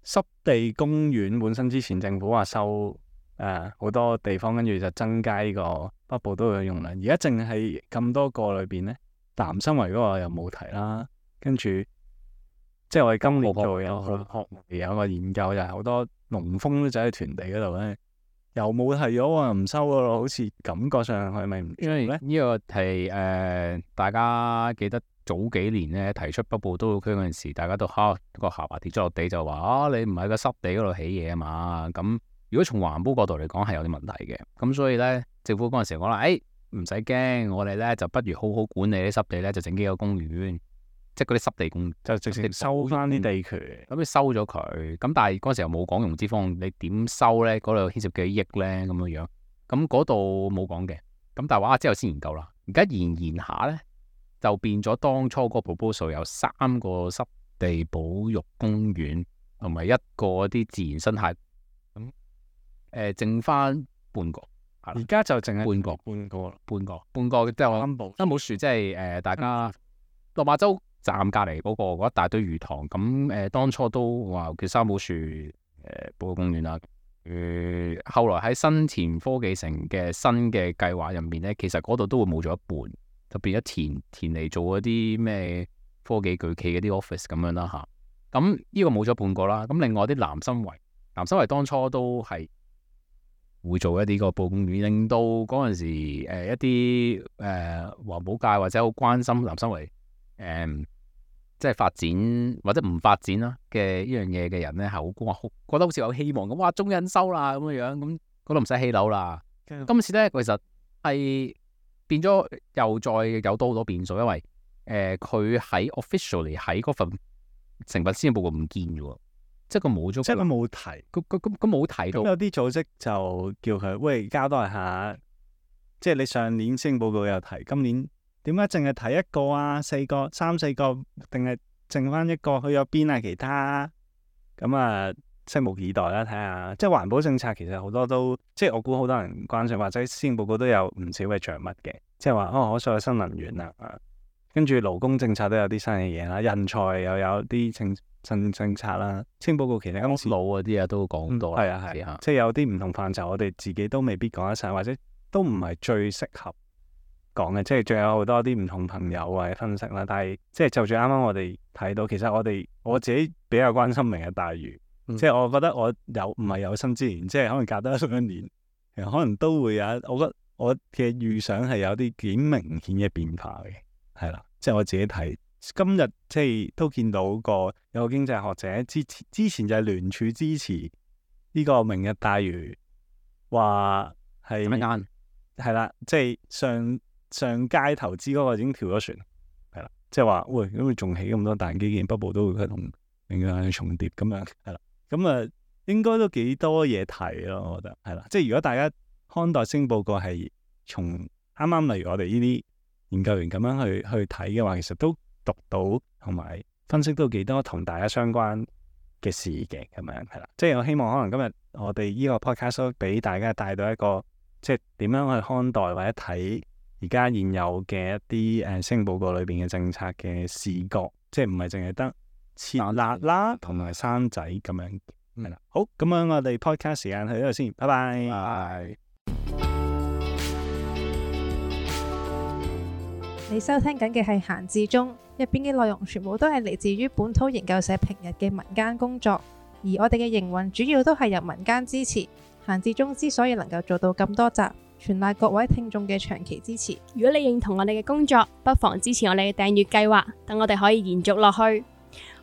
濕地公園本身之前政府話收誒好多地方，跟住就增加呢個北部都會嘅容量。而家淨係咁多個裏邊咧，南生圍嗰個又冇提啦。跟住即係我哋今年做有學有個研究，就係好多農蜂都走喺屯地嗰度咧，又冇提咗啊，唔收噶咯，好似感覺上係咪唔做咧？呢個係誒、呃、大家記得。早幾年咧提出北部都會區嗰陣時，大家都嚇個下巴跌咗落地，就話啊你唔係個濕地嗰度起嘢啊嘛。咁如果從環保角度嚟講係有啲問題嘅，咁所以咧政府嗰陣時講啦，誒唔使驚，我哋咧就不如好好管理啲濕地咧，就整幾個公園，即係嗰啲濕地公園就直接收翻啲地權。咁你收咗佢，咁但係嗰陣時又冇講融資方，你點收咧？嗰度牽涉幾億咧咁樣樣，咁嗰度冇講嘅。咁但係話之後先研究啦，而家研研下咧。就變咗當初個 proposal 有三個濕地保育公園，同埋一個啲自然生態，咁誒剩翻半個，而家就淨係半個，半個，半個，半個即係我三寶三寶樹，即係誒大家落馬洲站隔離嗰個嗰一大堆魚塘，咁誒、呃、當初都話叫三寶樹誒保育公園啦。誒、呃、後來喺新田科技城嘅新嘅計劃入面咧，其實嗰度都會冇咗一半。就變咗填填嚟做嗰啲咩科技巨企嗰啲 office 咁樣啦嚇，咁呢個冇咗半個啦。咁另外啲南生圍，南生圍當初都係會做一啲個保育公園，令到嗰陣時、呃、一啲誒、呃、環保界或者好關心南生圍誒、呃、即係發展或者唔發展啦嘅呢樣嘢嘅人咧，係好哇，覺得好似有希望咁，哇中印收啦咁樣樣，咁嗰度唔使起樓啦。嗯、今次咧其實係。變咗又再有多好多變數，因為誒佢喺 officially 喺嗰份成份施政報告唔見嘅喎，即係佢冇咗，即係佢冇提，佢佢佢佢冇提到。咁有啲組織就叫佢喂交代下，即係你上年施政報告有提，今年點解淨係提一個啊？四個、三四個，定係剩翻一個？去咗邊啊？其他咁啊？拭目以待啦，睇下，即係環保政策其實好多都，即係我估好多人關注，或者施政報告都有唔少嘅着物嘅，即係話哦可再生能源啊，跟住勞工政策都有啲新嘅嘢啦，人才又有啲政新政策啦，施政報告其實今次老嗰啲啊都講到，係啊係啊，即係有啲唔同範疇，我哋自己都未必講得晒，或者都唔係最適合講嘅，即係仲有好多啲唔同朋友或者分析啦，但係即係就住啱啱我哋睇到，其實我哋我自己比較關心明日大嶼。嗯、即係我覺得我有唔係有生之年，即係可能隔得一年，其實可能都會有。我覺得我嘅預想係有啲幾明顯嘅變化嘅，係啦。即係我自己睇今日即係都見到個有個經濟學者之前之前就係聯署支持呢個明日大嶼，話係乜啱？係啦，即係上上屆投資嗰個已經跳咗船，係啦。即係話喂，咁佢仲起咁多大基建，北部都會佢同明日係重疊咁樣，係啦。咁啊，應該都幾多嘢睇咯，我覺得係啦。即係如果大家看待施政報告係從啱啱例如我哋呢啲研究員咁樣去去睇嘅話，其實都讀到同埋分析到幾多同大家相關嘅事嘅咁樣係啦。即係我希望可能今日我哋呢個 podcast 都俾大家帶到一個即係點樣去看待或者睇而家現有嘅一啲誒施政報告裏邊嘅政策嘅視覺，即係唔係淨係得設立啦，同埋生仔咁樣，係啦、嗯。好，咁樣我哋 podcast 時間去呢度先，拜拜。拜。你收聽緊嘅係閒置中，入邊嘅內容全部都係嚟自於本土研究社平日嘅民間工作，而我哋嘅營運主要都係由民間支持。閒置中之所以能夠做到咁多集，全賴各位聽眾嘅長期支持。如果你認同我哋嘅工作，不妨支持我哋嘅訂閱計劃，等我哋可以延續落去。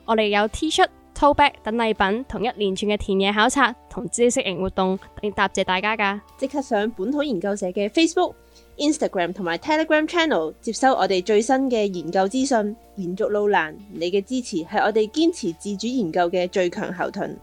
我哋有 T 恤、Tote Bag 等禮品，同一連串嘅田野考察，同知識型活動，嚟答謝大家㗎。即刻上本土研究社嘅 Facebook、Instagram 同埋 Telegram Channel 接收我哋最新嘅研究資訊。延續路難，你嘅支持係我哋堅持自主研究嘅最強後盾。